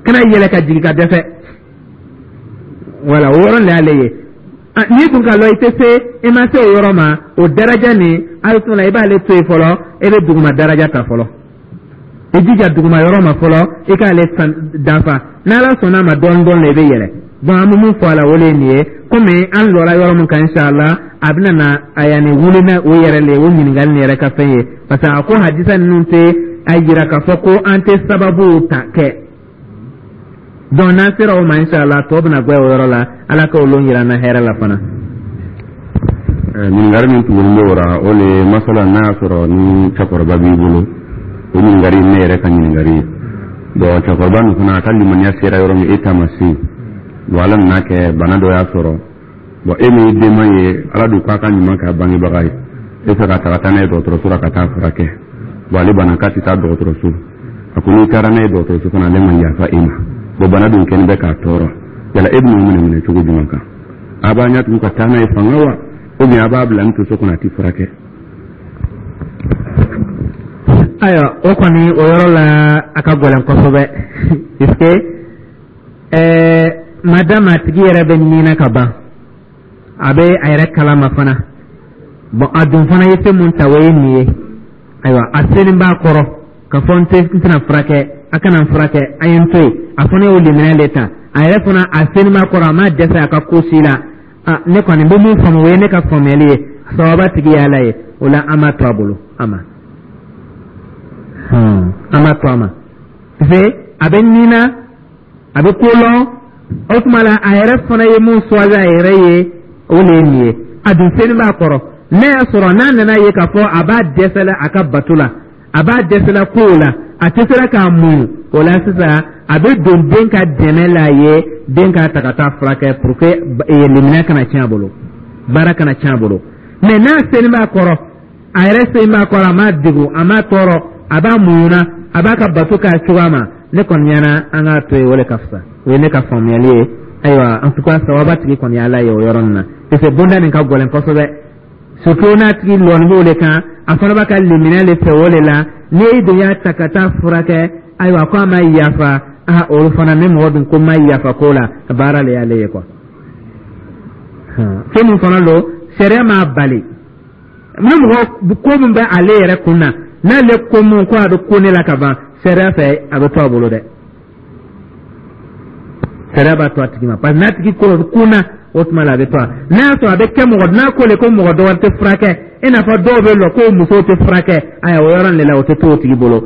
kana yɛlɛ ka jigin ka dɛsɛ. Wala o yɔrɔ de y'ale ye. N'i kun ka lɔ, i tɛ se, i ma se o yɔrɔ ma, o daraja nin, hali tuma i b'ale to yen fɔlɔ, e bɛ duguma daraja ta fɔlɔ. I jija duguma yɔrɔ ma fɔlɔ, i k'ale dafa. N'Ala sɔnna a ma, dɔɔni dɔɔni i bɛ yɛlɛ. Donc an bɛ mun fɔ a la, o de ye nin ye. Komi an lɔra yɔrɔ min kan, inshallah a bɛna na a yanni wuli n'a o yɛrɛ le, o ɲininkali nin yɛrɛ ka fɛn ye, parce que a ko hadisa ninnu tɛ a yira k'a fɔ ko an tɛ sababuw ta kɛ. Donc n'an sera o ma, inshallah tɔ bɛna gbɛ o yɔrɔ la. Ala ka olu yira an na hɛrɛ la fana. Ɲininkali min tugulen bɛ o la, o le ye masala n'a y'a sɔrɔ ni cɛkɔrɔba b'i bolo. O ɲininkali ne yɛrɛ ka ɲininkali ye. Bon, cɛkɔrɔba nin fana, a ka limaniya sera yɔrɔ min, e ta ma se. Bon, Ala nana kɛ bana dɔ y'a sɔrɔ. Bon, e min ye denman ye, Ala dun k'a ka ɲuman kɛ a bangebaga ye, e fɛ ka taga taa n'a ye dɔgɔtɔrɔso la ka taa furakɛ. Bon, ale bana k'a tɛ taa dɔgɔtɔrɔso. A ko n'i taara n'a ye dɔgɔtɔrɔso fana, ale ma yafa e ma. Bon, bana dun kɛlen bɛ k'a tɔɔrɔ. Yala e bɛn'o minɛ minɛ cogo jumɛn kan? A b'a ɲɛ tugu ka taa n'a ye fanga wa, ou bien a b'a bila ni to so kɔnɔ, a tɛ furakɛ? Ayiwa, o kɔni, o yɔrɔ la, a ka gɛlɛn kosɛbɛ, puisque ɛɛ madame a tigi yɛrɛ bɛ nin na ka ban, a bɛ a yɛrɛ kalama fana. Bon, a dun fana ye fɛn mun ta, o ye nin ye. Ayiwa, a selen b'a kɔrɔ ka fɔ n tɛ, n tɛna furakɛ, a kana n furakɛ, a ye n to yen. A fana y'o limaniya de ta a yɛrɛ fana, a selen b'a kɔrɔ, a ma dɛsɛ a ka ko si la. A ne kɔni bɛ mun faamu, o ye ne ka faamuyali ye. Sababa tigi ye Ala ye. O la, an b'a to a bolo, a ma an b'a to a ma, parce que a bɛ nin na, a bɛ ko lɔn. O tuma la, a yɛrɛ fana ye mun choisi a yɛrɛ ye, o de ye nin ye. A dun selen b'a kɔrɔ. N'a y'a sɔrɔ n'a nana ye k'a fɔ a b'a dɛsɛ la a ka bato la, a b'a dɛsɛ la kow la, a tɛ sera k'a muɲu, o la sisan a bɛ don den ka dɛmɛ la ye, den k'a ta ka taa furakɛ pour que limaniya kana tiɲɛ a bolo, baara kana tiɲɛ a bolo. Mais n'a selen b'a kɔrɔ, a yɛrɛ selen b'a kɔrɔ, a m'a degun, a m'a tɔɔrɔ, a b'a muɲuna, a b'a ka bato k'a cogoya ma, ne kɔni ɲɛna an k'a to yen, o de ka fisa. O ye ne ka faamuyali ye. Ayiwa, en tout cas, sababa tigi kɔni ye Ala ye o yɔrɔ nin na, parce que bonda nin ka gɛlɛn kosɛbɛ. Surtout n'a tigi lɔnni b'o de kan, a fana b'a ka limaniya le fɛ o de la. N'e dun y'a ta ka taa furakɛ, ayiwa, ko a ma yafa, a olu fana ni mɔgɔ dun ko ma yafa ko la, baara le y'ale ye quoi. Fɛn min fana don, sariya m'a bali. Ni mɔgɔ ko min bɛ ale yɛrɛ kun na, n'ale ko mun ko a bɛ ko ne la ka ban, sariya fɛ a bɛ to a bolo dɛ. Sariya b'a to a tigi ma, parce que n'a tigi ko kun na, o tuma la a bɛ to a. N'a y'a sɔrɔ a bɛ kɛ mɔgɔ n'a ko le ko mɔgɔ dɔ wɛrɛ tɛ furakɛ, i n'a fɔ dɔw bɛ lɔ ko musow tɛ furakɛ, ayiwa, o yɔrɔ de la o tɛ to o tigi bolo,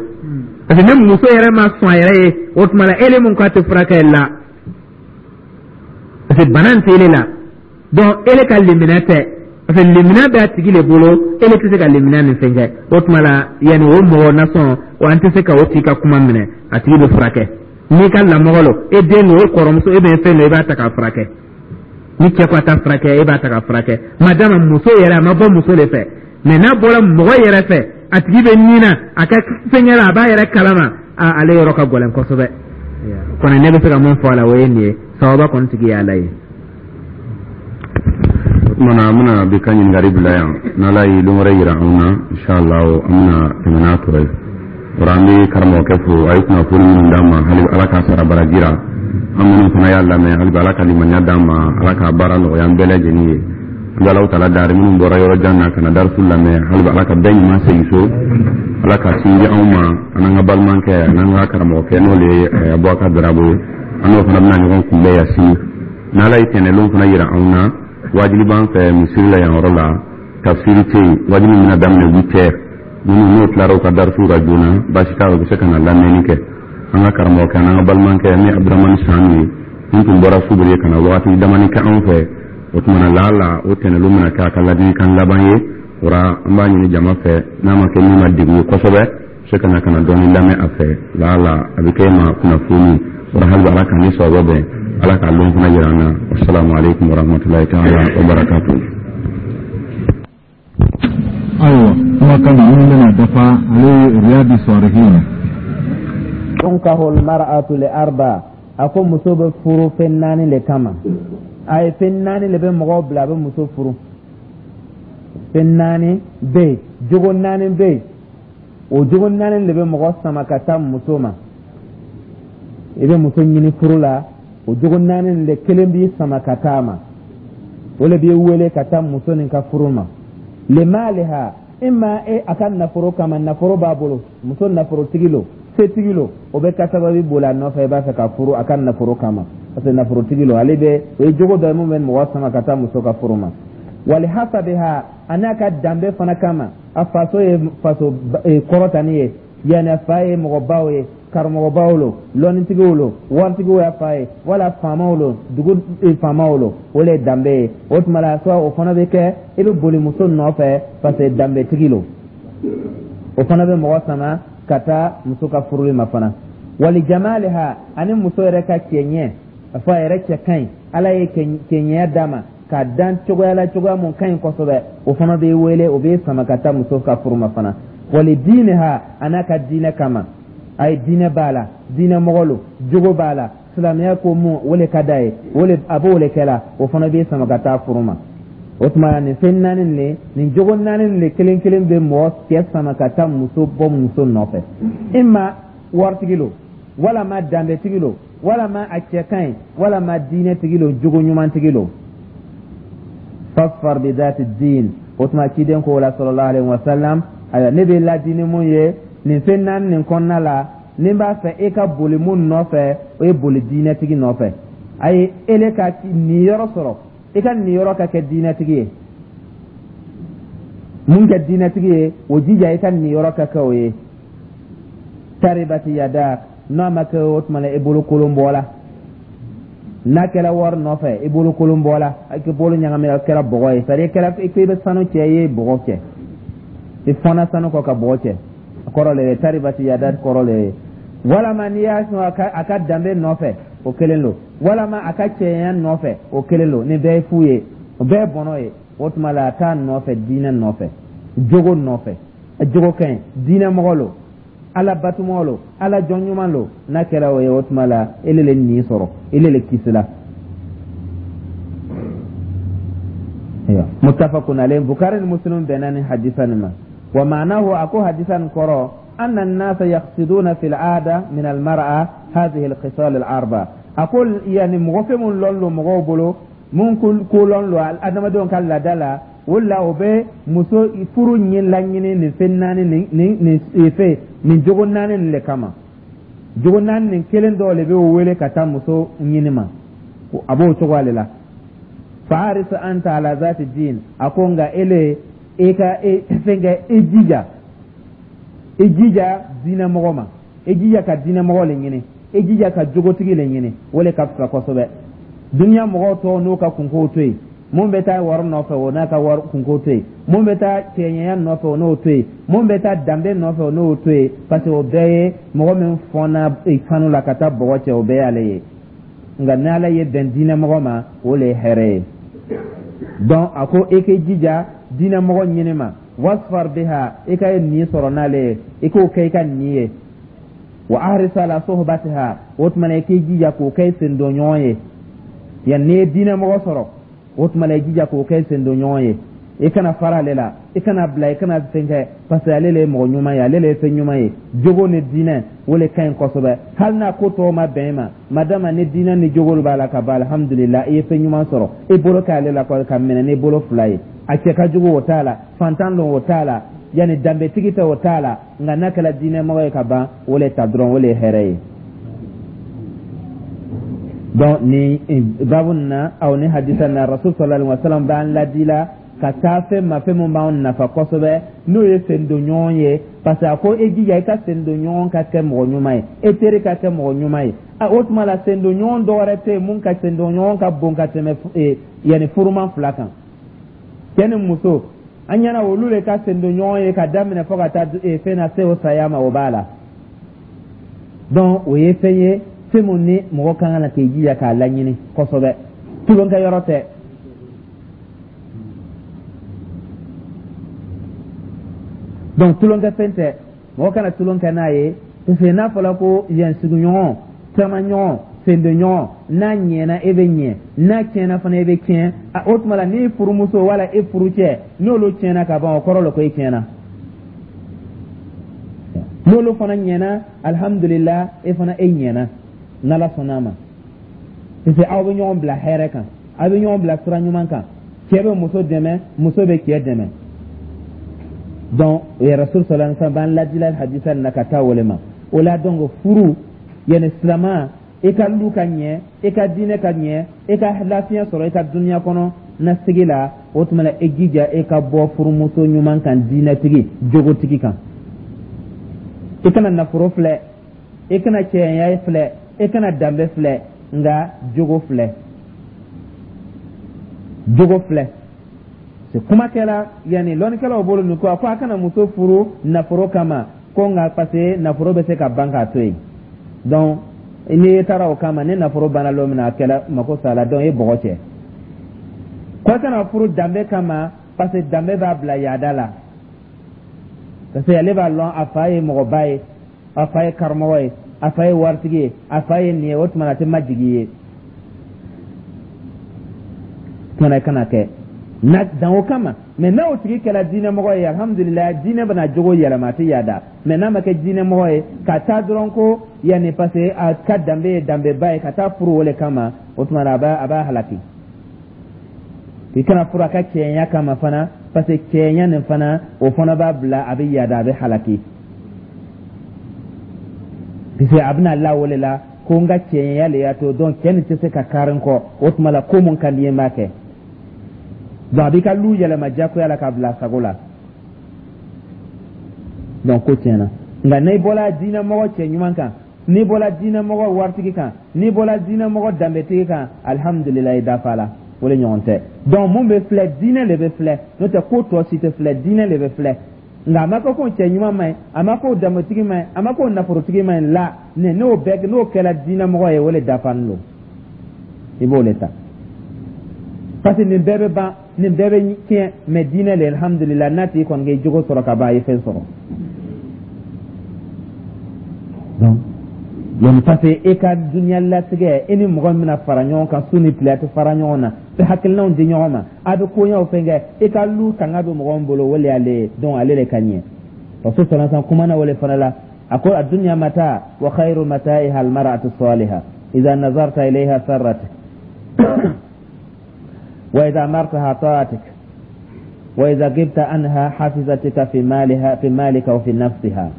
parce que ni muso yɛrɛ ma sɔn a yɛrɛ ye, o tuma la ele mun k'a tɛ furakɛ la, parce que bana in tɛ ele la. Donc ele ka limaniya tɛ, parce que limaniya bɛ a tigi le bolo, ele tɛ se ka limaniya nin fɛn kɛ. O tuma la yanni o mɔgɔ nasɔn o, an tɛ se ka o tigi ka kuma minɛ. A tigi bɛ furakɛ. N'i ka lamɔgɔ lo, e den don, e kɔrɔmuso, e bɛ fɛn dɔ, i b'a ta k'a furakɛ. Ni cɛ ko a ta furakɛ, e b'a ta k'a furakɛ. Madama muso yɛrɛ a ma bɔ muso de fɛ, mais n'a bɔra mɔgɔ yɛrɛ fɛ, a tigi bɛ nin na, a ka fɛnkɛ la, a b'a yɛrɛ kalama, a ale yɔrɔ ka gɛlɛn kosɛbɛ. Kɔni ne bɛ se ka mun fɔ a la, o ye nin ye. Sababa kɔni tigi ye Ala ye. O tuma na an bɛna bi ka ɲininkali bila yan. N'Ala ye don wɛrɛ yira anw na, inshallah, an bɛna tɛmɛ n'a tɔ ye. O la an bɛ karamɔgɔkɛ fo, a ye kunnafoni minnu d'an ma, hali Ala k'a sara baraji ra. An minnu fana y'a lamɛn, hali bi Ala ka limaniya d'an ma, Ala k'a baara nɔgɔya an bɛɛ lajɛlen ye. An bɛ Alahu taala dari, minnu bɔra yɔrɔ jan na ka na darisu lamɛn, hali bi Ala ka bɛɛ ɲuman segin so, Ala ka sin di anw ma, an n'an ka balimakɛ, an n'an ka karamɔgɔkɛ, n'o de ye Abubakar Darabo ye. An n'o fana bɛna ɲɔgɔn kunbɛn yan sini. N'Ala ye tɛnɛlon fana yira anw na, wajibi b'an fɛ misiri la yan yɔrɔ la, tafsiri tɛ yen. Wajibi bɛna daminɛ huit heures. Minnu n'o tilara u ka darisu la joona, baasi t'a la, u bɛ se ka na lamɛnni kɛ. An ka karamɔgɔkɛ n'an ka balimakɛ ni Abudramani Sanu ye min tun bɔra Subiri ka na wagati damani kɛ anw fɛ, o tuma na laala o tɛnɛlon bɛna kɛ a ka ladilikan laban ye. O la an b'a ɲini jama fɛ, n'a ma kɛ min ma degun ye kosɛbɛ, se ka na ka na dɔɔni lamɛn a fɛ, laala a bɛ kɛ e ma kunnafoni. O la hali Ala k'an ni sawaba bɛn, Ala k'a lɔn fana yira an na. Wasalamu aleykum warahmatulahi taala wabarakatuh. Ayiwa, kumakan minnu bɛna dafa, ale ye Riyadi Salihin. Tunkahu almar'atu li arba. A ko muso bɛ furu fɛn naani le kama. A ye fɛn naani le bɛ mɔgɔw bila a bɛ muso furu. Fɛn naani bɛ yen, jogo naani bɛ yen, o jogo naani le bɛ mɔgɔ sama ka taa muso ma. I bɛ muso ɲini furu la, o jogo naani le kelen b'i sama ka taa ma, o le b'i wele ka taa muso nin ka furu ma. Limaliha, imma e a ka nafolo kama, nafolo b'a bolo, muso nafolotigi lo, setigi lo, o bɛ ka sababu boli a nɔfɛ, i b'a fɛ ka furu a ka nafolo kama, parce que nafolotigi lo. Ale bɛ o ye jogo dɔ ye mun bɛ mɔgɔ sama ka taa muso ka furu ma. Wali hasabiha, a n'a ka danbe fana kama, a faso ye faso kɔrɔtani ye, yanni a fa ye mɔgɔbaw ye, karamɔgɔbaw lo, lɔnnitigiw lo, waritigiw y'a fa ye, wala faamaw lo, dugu faamaw lo, o le ye danbe ye. O tuma la soit o fana bɛ kɛ i bɛ boli muso nɔfɛ parce que danbetigi lo, o fana bɛ mɔgɔ sama ka taa muso ka furuli ma fana. Wali jamaliha, ani muso yɛrɛ ka cɛɲɛ, a fɔ a yɛrɛ cɛ ka ɲi, Ala ye cɛɲɛya d'a ma k'a dan cogoya la, cogoya mun ka ɲi kosɛbɛ, o fana bɛ wele, o bɛ sama ka taa muso ka furu ma fana. Wali diiniha, a n'a ka diinɛ kama, a ye diinɛ b'a la, diinɛ mɔgɔ lo, jogo b'a la, silamɛya ko mun o le ka d'a ye, o le a b'o le kɛ la, o fana bɛ sama ka taa furu ma. O tuma nin fɛn naani le, nin jogo naani le kelen kelen bɛ mɔgɔ cɛ sama ka taa muso bɔ muso nɔfɛ: imma waritigi lo, walama danbetigi lo, walama a cɛ ka ɲi, walama diinɛtigi lo, jogo ɲumantigi lo. Fasfar bi dati din. O tuma ciden ko la, sallallahu alaihi wasallam, ayiwa, ne bɛ ladi ni mun ye nin fɛn naani nin kɔnɔna la, ni n b'a fɛ e ka boli mun nɔfɛ, o ye boli diinɛtigi nɔfɛ. Ayi, ele ka niyɔrɔ sɔrɔ, i ka niyɔrɔ ka kɛ diinɛtigi ye. Mun kɛ diinɛtigi ye, o jija i ka niyɔrɔ ka kɛ o ye. Taribati yadak, n'a ma kɛ, o tuma la i bolo kolon bɔla. N'a kɛra wari nɔfɛ, i bolo kolon bɔla, i bolo ɲagami, a kɛra bɔgɔ ye. c'est à dire kɛra i bɛ sanu cɛ, i ye bɔgɔ cɛ, i fɔnna sanu kɔ ka bɔgɔ cɛ, a kɔrɔ le ye taribati yadak kɔrɔ le ye. Walama n'i y'a sɔn a ka danbe nɔfɛ, o kelen don, walama a ka cɛya nɔfɛ, o kelen don. Nin bɛɛ ye fu ye, o bɛɛ ye bɔnɔ ye. O tuma la a t'a nɔfɛ diinɛ nɔfɛ, jogo nɔfɛ, jogo ka ɲi, diinɛ mɔgɔ lo, Ala batumɔgɔ lo, Ala jɔn ɲuman lo. N'a kɛra o ye, o tuma la ele le nin sɔrɔ, ele le kisila. Muttafaqun alayhi, Bukhari ni Muslim bɛnna ni hadisa nin ma. Wa ma'nahu, a ko hadisa nin kɔrɔ, anna an-nasa yaqsiduna fil 'ada min al-mar'a hadhihi al-khisal al-arba. A ko yani mɔgɔ fɛn mun lɔn lo mɔgɔw bolo, mun ko lɔn lo adamadenw ka laada la, o la o bɛ muso furu ɲin laɲini nin fɛn naani nin nin nin fɛn nin jogo naani nin le kama. Jogo naani nin kelen dɔw le bɛ o wele ka taa muso ɲini ma, a b'o cogo ale la. Fahris anta ala zati din, a ko nka ele e ka e fɛn kɛ, e jija e jija diinɛ mɔgɔ ma, e jija ka diinɛ mɔgɔ le ɲini, e jija ka jogotigi le ɲini, o le ka fisa kosɛbɛ. Duniya mɔgɔw tɔw n'u ka kunkow to yen, mun bɛ taa wari nɔfɛ, o n'a ka wari kunko to yen, mun bɛ taa cɛɲɛya nɔfɛ, o n'o to yen, mun bɛ taa danbe nɔfɛ, o n'o to yen, parce que o bɛɛ ye mɔgɔ min fɔnna sanu la ka taa bɔgɔ cɛ, o bɛɛ y'ale ye. Nka n'ala ye bɛn diinɛ mɔgɔ ma, o le ye hɛrɛ ye. Donc a ko e k'i jija diinɛ mɔgɔ ɲini ma, wasfar biha, i ka nin sɔrɔ n'ale ye, i k'o kɛ i ka nin ye. Wa ahris ala sohbatiha, o tuma na i k'i jija k'o kɛ i sendonɲɔgɔn ye. Yan n'i ye diinɛ mɔgɔ sɔrɔ, o tuma na i jija k'o kɛ sendonɲɔgɔn ye, i kana fara ale la, i kana bila, i kana fɛn kɛ, parce que ale le ye mɔgɔ ɲuman ye, ale le ye fɛn ɲuman ye. Jogo ni diinɛ, o le ka ɲi kosɛbɛ. Hali n'a ko tɔw ma bɛn i ma, madama ni diinɛ ni jogo b'a la ka ban, alhamdulillah, i ye fɛn ɲuman sɔrɔ. I bolo k'ale la ka minɛ n'i bolo fila ye. A cɛ ka jugu, o t'a la, fantan don, o t'a la, yanni danbetigi tɛ, o t'a la, nka n'a kɛra diinɛmɔgɔ ye ka ban, o le ta dɔrɔn, o le ye hɛrɛ ye. Donc ni babu na aw ni hadisa na, Rasul sallallahu alaihi wasallam b'an ladi la ka taa fɛn ma, fɛn mun b'anw nafa kosɛbɛ, n'o ye sendonɲɔgɔn ye, parce que a ko e jija i ka sendonɲɔgɔn ka kɛ mɔgɔ ɲuman ye, e teri ka kɛ mɔgɔ ɲuman ye. A o tuma la, sendonɲɔgɔn dɔ wɛrɛ tɛ yen mun ka sendonɲɔgɔn ka bon ka tɛmɛ yanni furuman fila kan, cɛ ni muso. An ɲɛna olu le ka sendonɲɔgɔn ye ka daminɛ fo ka taa fɛn na se o saya ma, o b'a la. Donc o ye fɛn ye, fɛn mun ni mɔgɔ kan ka na k'i jija k'a laɲini kosɛbɛ, tulonkɛ yɔrɔ tɛ. Donc tulonkɛ fɛn tɛ, mɔgɔ kana tulon kɛ n'a ye, parce que n'a fɔra ko yan sigiɲɔgɔn, taamaɲɔgɔn, sendonɲɔgɔn, n'a ɲɛna e bɛ ɲɛ, n'a tiɲɛna fana e bɛ tiɲɛ. O tuma la n'i furumuso wala e furucɛ n'olu tiɲɛna ka ban, o kɔrɔ la ko e tiɲɛna. N'olu fana ɲɛna, alhamdulillah, e fana e ɲɛna n'Ala sɔnna a ma, parce que aw bɛ ɲɔgɔn bila hɛrɛ kan, aw bɛ ɲɔgɔn bila sira ɲuman kan, cɛ bɛ muso dɛmɛ, muso bɛ cɛ dɛmɛ. Donc Rasul sallallahu alaihi wasallam b'an ladila hadisa na ka taa wale ma o la. Donc furu yanni silama, i ka lu ka ɲɛ, i ka diinɛ ka ɲɛ, i ka lafiya sɔrɔ i ka dunuya kɔnɔ na sigi la, o tuma la e jija e ka bɔ furumuso ɲuman kan, diinɛtigi, jogotigi kan. I kana nafolo filɛ, i kana cɛya filɛ, i kana danbe filɛ, nka jogo filɛ, jogo filɛ. Kuma kɛla yanni lɔnnikɛlaw bolo nin ko a ko a kana muso furu nafolo kama, ko nka parce que nafolo bɛ se ka ban k'a to yen. Donc n'i taara o kama, ni nafolo banna lon min na, a kɛla mako sa la, donc e bɔgɔ cɛ. Ko a kana furu danbe kama, parce que danbe b'a bila yaada la, parce que ale b'a lɔn a fa ye mɔgɔba ye, a fa ye karamɔgɔ ye, a fa ye waritigi ye, a fa ye nin ye, o tuma na a tɛ majigin ye. Tuma na i kana kɛ na dan o kama. Mɛ n'a o tigi kɛra diinɛmɔgɔ ye, alhamdulilayi, diinɛ bɛna jogo yɛlɛma, a tɛ yaada. Mɛ n'a ma kɛ diinɛmɔgɔ ye ka taa dɔrɔn ko yanni parce que a ka danbe ye danbeba ye, ka taa furu o le kama, o tuma na a b'a a b'a halaki. I kana furu a ka cɛɲa kama fana, parce que cɛɲa nin fana, o fana b'a bila a bɛ yaada, a bɛ halaki, parce que a bɛna la o le la ko n ka cɛɲa le y'a to, donc cɛ nin tɛ se ka kari n kɔ, o tuma la ko mun ka di n ye n b'a kɛ. Donc a b'i ka lu yɛlɛma diyagoya la k'a bila a sago la, donc ko tiɲɛna. Nka n'i bɔra diinɛmɔgɔ cɛ ɲuman kan, n'i bɔra diinɛmɔgɔ waritigi kan, n'i bɔra diinɛmɔgɔ danbetigi kan, alihamudulilayi, dafa la, o de ɲɔgɔn tɛ. Donc mun bɛ filɛ, diinɛ de bɛ filɛ, n'o tɛ ko tɔ si tɛ filɛ, diinɛ de bɛ filɛ. Nka a ma kɛ ko cɛ ɲuman man ɲi, a ma ko danbetigi man ɲi, a ma ko nafolotigi man ɲi la, n'o bɛɛ n'o kɛra diinɛmɔgɔ ye, o de dafalen don, i b'o de ta, parce que nin bɛɛ bɛ ban, nin bɛɛ bɛ tiɲɛ, mɛ diinɛ le, alhamdulilah, n'a tigi kɔni k'i jogo sɔrɔ ka ban, a ye fɛn sɔrɔ. Donc Yani parce que e ka dunuya latigɛ, e ni mɔgɔ min bɛna fara ɲɔgɔn kan su ni tile, a tɛ fara ɲɔgɔn na, bɛ hakilinaw di ɲɔgɔn ma, a bɛ koɲɛw fɛn kɛ, e ka lu tanga bɛ mɔgɔ min bolo, o le y'ale ye. Donc ale de ka ɲɛ. Rasul sallallahu alaihi wasallam kumana o le fana la, a ko: الدنيا متاع وخير متاعها المرأة الصالحة، إذا نظرت إليها سرتك، وإذا أمرتها أطاعتك، وإذا غبت عنها حفظتك في مالها في مالك وفي نفسها.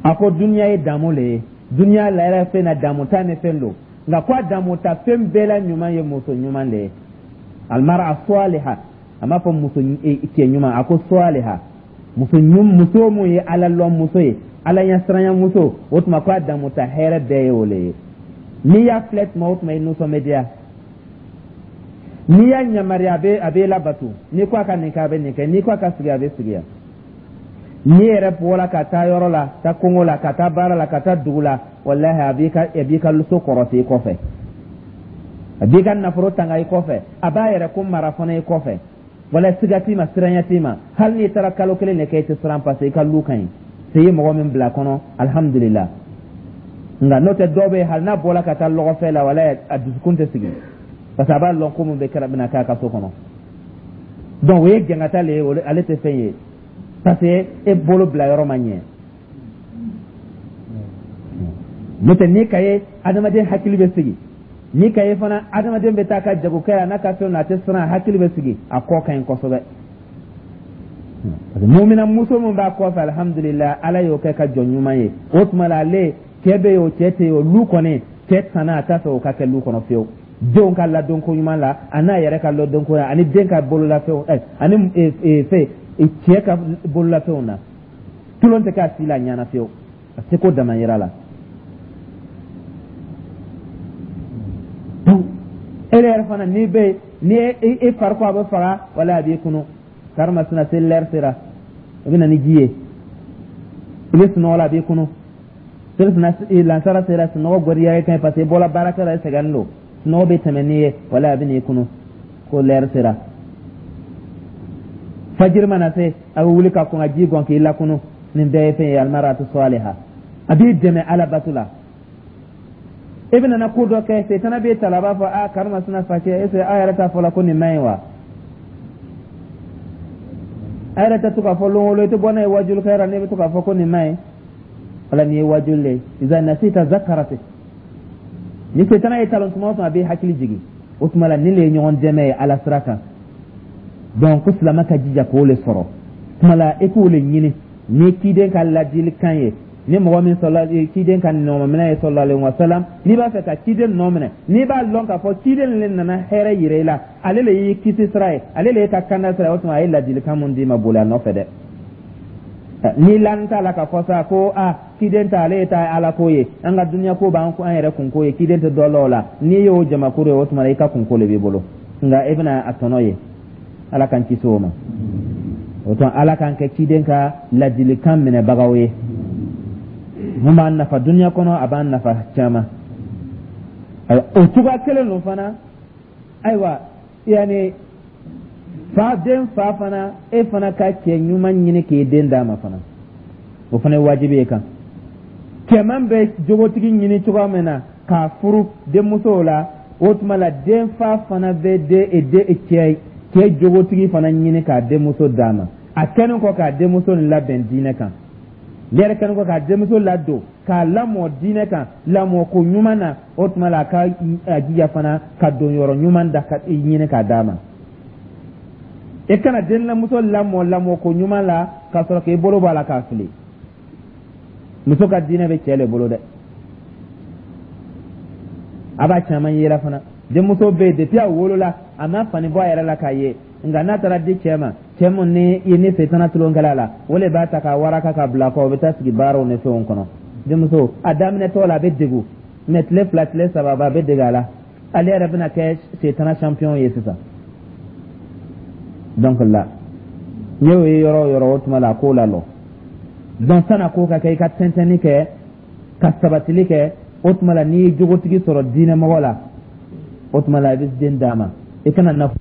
A ko duniya ye damu le ye, duniya la yɛrɛ fɛn na damu ta ni fɛn don, nka ko a damu ta fɛn bɛɛ la ɲuman ye muso ɲuman le ye, المرأة الصالحة. A m'a fɔ muso cɛ ɲuman, a ko صالحة, muso muso mun ye Ala lɔn muso ye, Ala ɲɛsiranya muso. O tuma ko a damu ta hɛrɛ bɛɛ ye o le ye. N'i y'a filɛ tuma o tuma, i nisɔn bɛ diya. N'i y'a yamaruya, a bɛ a bɛ labato. N'i ko a ka nin kɛ, a bɛ nin kɛ. N'i ko a ka sigi, a bɛ sigi yan. N'i yɛrɛ bɔra ka taa yɔrɔ la, taa kongo la, ka taa baara la, ka taa dugu la, walahi, a b'i ka a b'i ka so kɔrɔsi i kɔfɛ, a b'i ka nafolo tanga i kɔfɛ, a b'a yɛrɛ ko mara fana i kɔfɛ. Wala siga t'i ma, siranya t'i ma. Hali n'i taara kalo kelen de kɛ, i tɛ siran, parce que i ka lu ka ɲi se i ye mɔgɔ min bila kɔnɔ, alhamdulillah. Nka n'o tɛ, dɔw bɛ yen, hali n'a bɔra ka taa lɔgɔfɛ la, wala a dusukun tɛ sigi, parce que a b'a lɔn ko mun bɛ kɛra bɛna k'a ka so kɔnɔ. Donc o ye jangata le ye, ale tɛ fɛn ye, parce que e bolo bila yɔrɔ ma ɲɛ. N'o tɛ, n'i ka ye, adamaden hakili bɛ sigi. N'i ka ye fana, adamaden bɛ taa ka jagokɛ a n'a ka fɛnw na, a tɛ siran, a hakili bɛ sigi, a kɔ ka ɲi kosɛbɛ. Parce que mumina muso min b'a kɔfɛ, alhamdulillah, Ala y'o kɛ ka jɔn ɲuman ye. O tuma la, ale cɛ bɛ yen o, cɛ tɛ yen o, lu kɔni cɛ tana a t'a fɛ o ka kɛ lu kɔnɔ fiyewu. Denw ka ladonko ɲuman la, a n'a yɛrɛ ka ladonko la, ani den ka bololafɛnw, ɛ ani fɛn cɛ ka bololafɛnw na, tulon tɛ k'a si la ɲana fiyewu, a seko dama yira la. Donc e yɛrɛ fana, n'i bɛ ni e fari ko a bɛ faga, wala a b'i kunu karimasina seli lɛri sera, i bɛ na ni ji ye. I bɛ sunɔgɔ la, a b'i kunu. Seli fana lansara sera, sunɔgɔ gɔriya ye kan, parce que i bɔra baarakɛ la, i sɛgɛnnen don, sunɔgɔ bɛ tɛmɛ n'i ye, wala a bɛ n'i kunu ko lɛri sera. Fajiri mana se, a bɛ wuli ka kɔn ka ji gɔn k'i lakunu. Nin bɛɛ ye fɛn ye, المرأة الصالحة, a b'i dɛmɛ Ala bato la. E bɛna na ko dɔ kɛ, setana b'e ta la, a b'a fɔ: a karimasina facɛ, est ce que aw yɛrɛ t'a fɔ la ko nin man ɲi wa? A yɛrɛ tɛ to k'a fɔ lon o lon, i tɛ bɔ n'a ye wajulikɛyɔrɔ, n'e bɛ to k'a fɔ ko nin man ɲi. Wala nin ye wajuli le ye. إذا نسيت ذكرتك. Ni setana ye talon tuma o tuma, a b'i hakili jigin. O tuma la, nin le ye ɲɔgɔn dɛmɛ ye Ala sira kan. Donc ko silamɛ ka jija k'o le sɔrɔ. Tuma la, e k'o le ɲini ni ciden ka ladilikan ye, ni mɔgɔ min sɔrɔla ciden ka nɔminɛ ye, صلى الله عليه وسلم. N'i b'a fɛ ka ciden nɔ minɛ, n'i b'a lɔn k'a fɔ ciden le nana hɛrɛ yira i la, ale le y'i kisi sira ye, ale le y'i ka kanda sira ye, o tuma a ye ladilikan mun d'i ma, boli a nɔfɛ dɛ. N'i lan t'a la k'a fɔ sa ko a ciden ta, ale ye ta Ala ko ye, an ka duniya ko b'an an yɛrɛ kunko ye, ciden tɛ dɔ la o la, n'i y'o jamakuru ye, o tuma i ka kunko le b'i bolo, nka e bɛna a tɔnɔ ye. Ala k'an kisi o ma. O tuma, Ala k'an kɛ ciden ka ladilikan minɛbagaw ye mun b'an nafa duniya kɔnɔ, a b'an nafa caman. O cogoya kelen don fana. Ayiwa, yanni fa den fa fana, e fana ka cɛ ɲuman ɲini k'i den d'a ma fana, o fana ye wajibi ye kan. Cɛman bɛ jogotigi ɲini cogoya min na k'a furu denmusow la, o tuma la den fa fana bɛ den den cɛ cɛ jogotigi fana ɲini k'a denmuso d'a ma. A kɛlen kɔ k'a denmuso nin labɛn diinɛ kan, ne yɛrɛ kɛlen kɔ k'a denmuso ladon k'a lamɔ diinɛ kan, lamɔko ɲuman na, o tuma la a ka a jija fana ka don yɔrɔ ɲuman da ka ɲini k'a d'a ma. E kana denmuso lamɔ lamɔko ɲuman la k'a sɔrɔ k'i bolo bɔ a la k'a fili. Muso ka diinɛ bɛ cɛ le bolo dɛ. A b'a caman yela fana, denmuso bɛ yen, depuis a wolola, a ma fani bɔ a yɛrɛ la k'a ye, nka n'a taara di cɛ ma, cɛ mun ni i ni setana tulonkɛla la, o le b'a ta k'a waraka ka bila kɔ, o bɛ taa sigi baaraw ni fɛnw kɔnɔ. Denmuso a daminɛtɔ la, a bɛ degun, mɛ tile fila, tile saba, a bɛ dege a la, ale yɛrɛ bɛna kɛ setana champion ye sisan. Donc la n'i y'o ye yɔrɔ o yɔrɔ, o tuma la a k'o la lɔ. Donc san'a ko ka kɛ, i ka tɛntɛnni kɛ ka sabatili kɛ. O tuma la, n'i ye jogotigi sɔrɔ diinɛmɔgɔ la, o tuma la i bɛ den d'a ma. I kana nafolo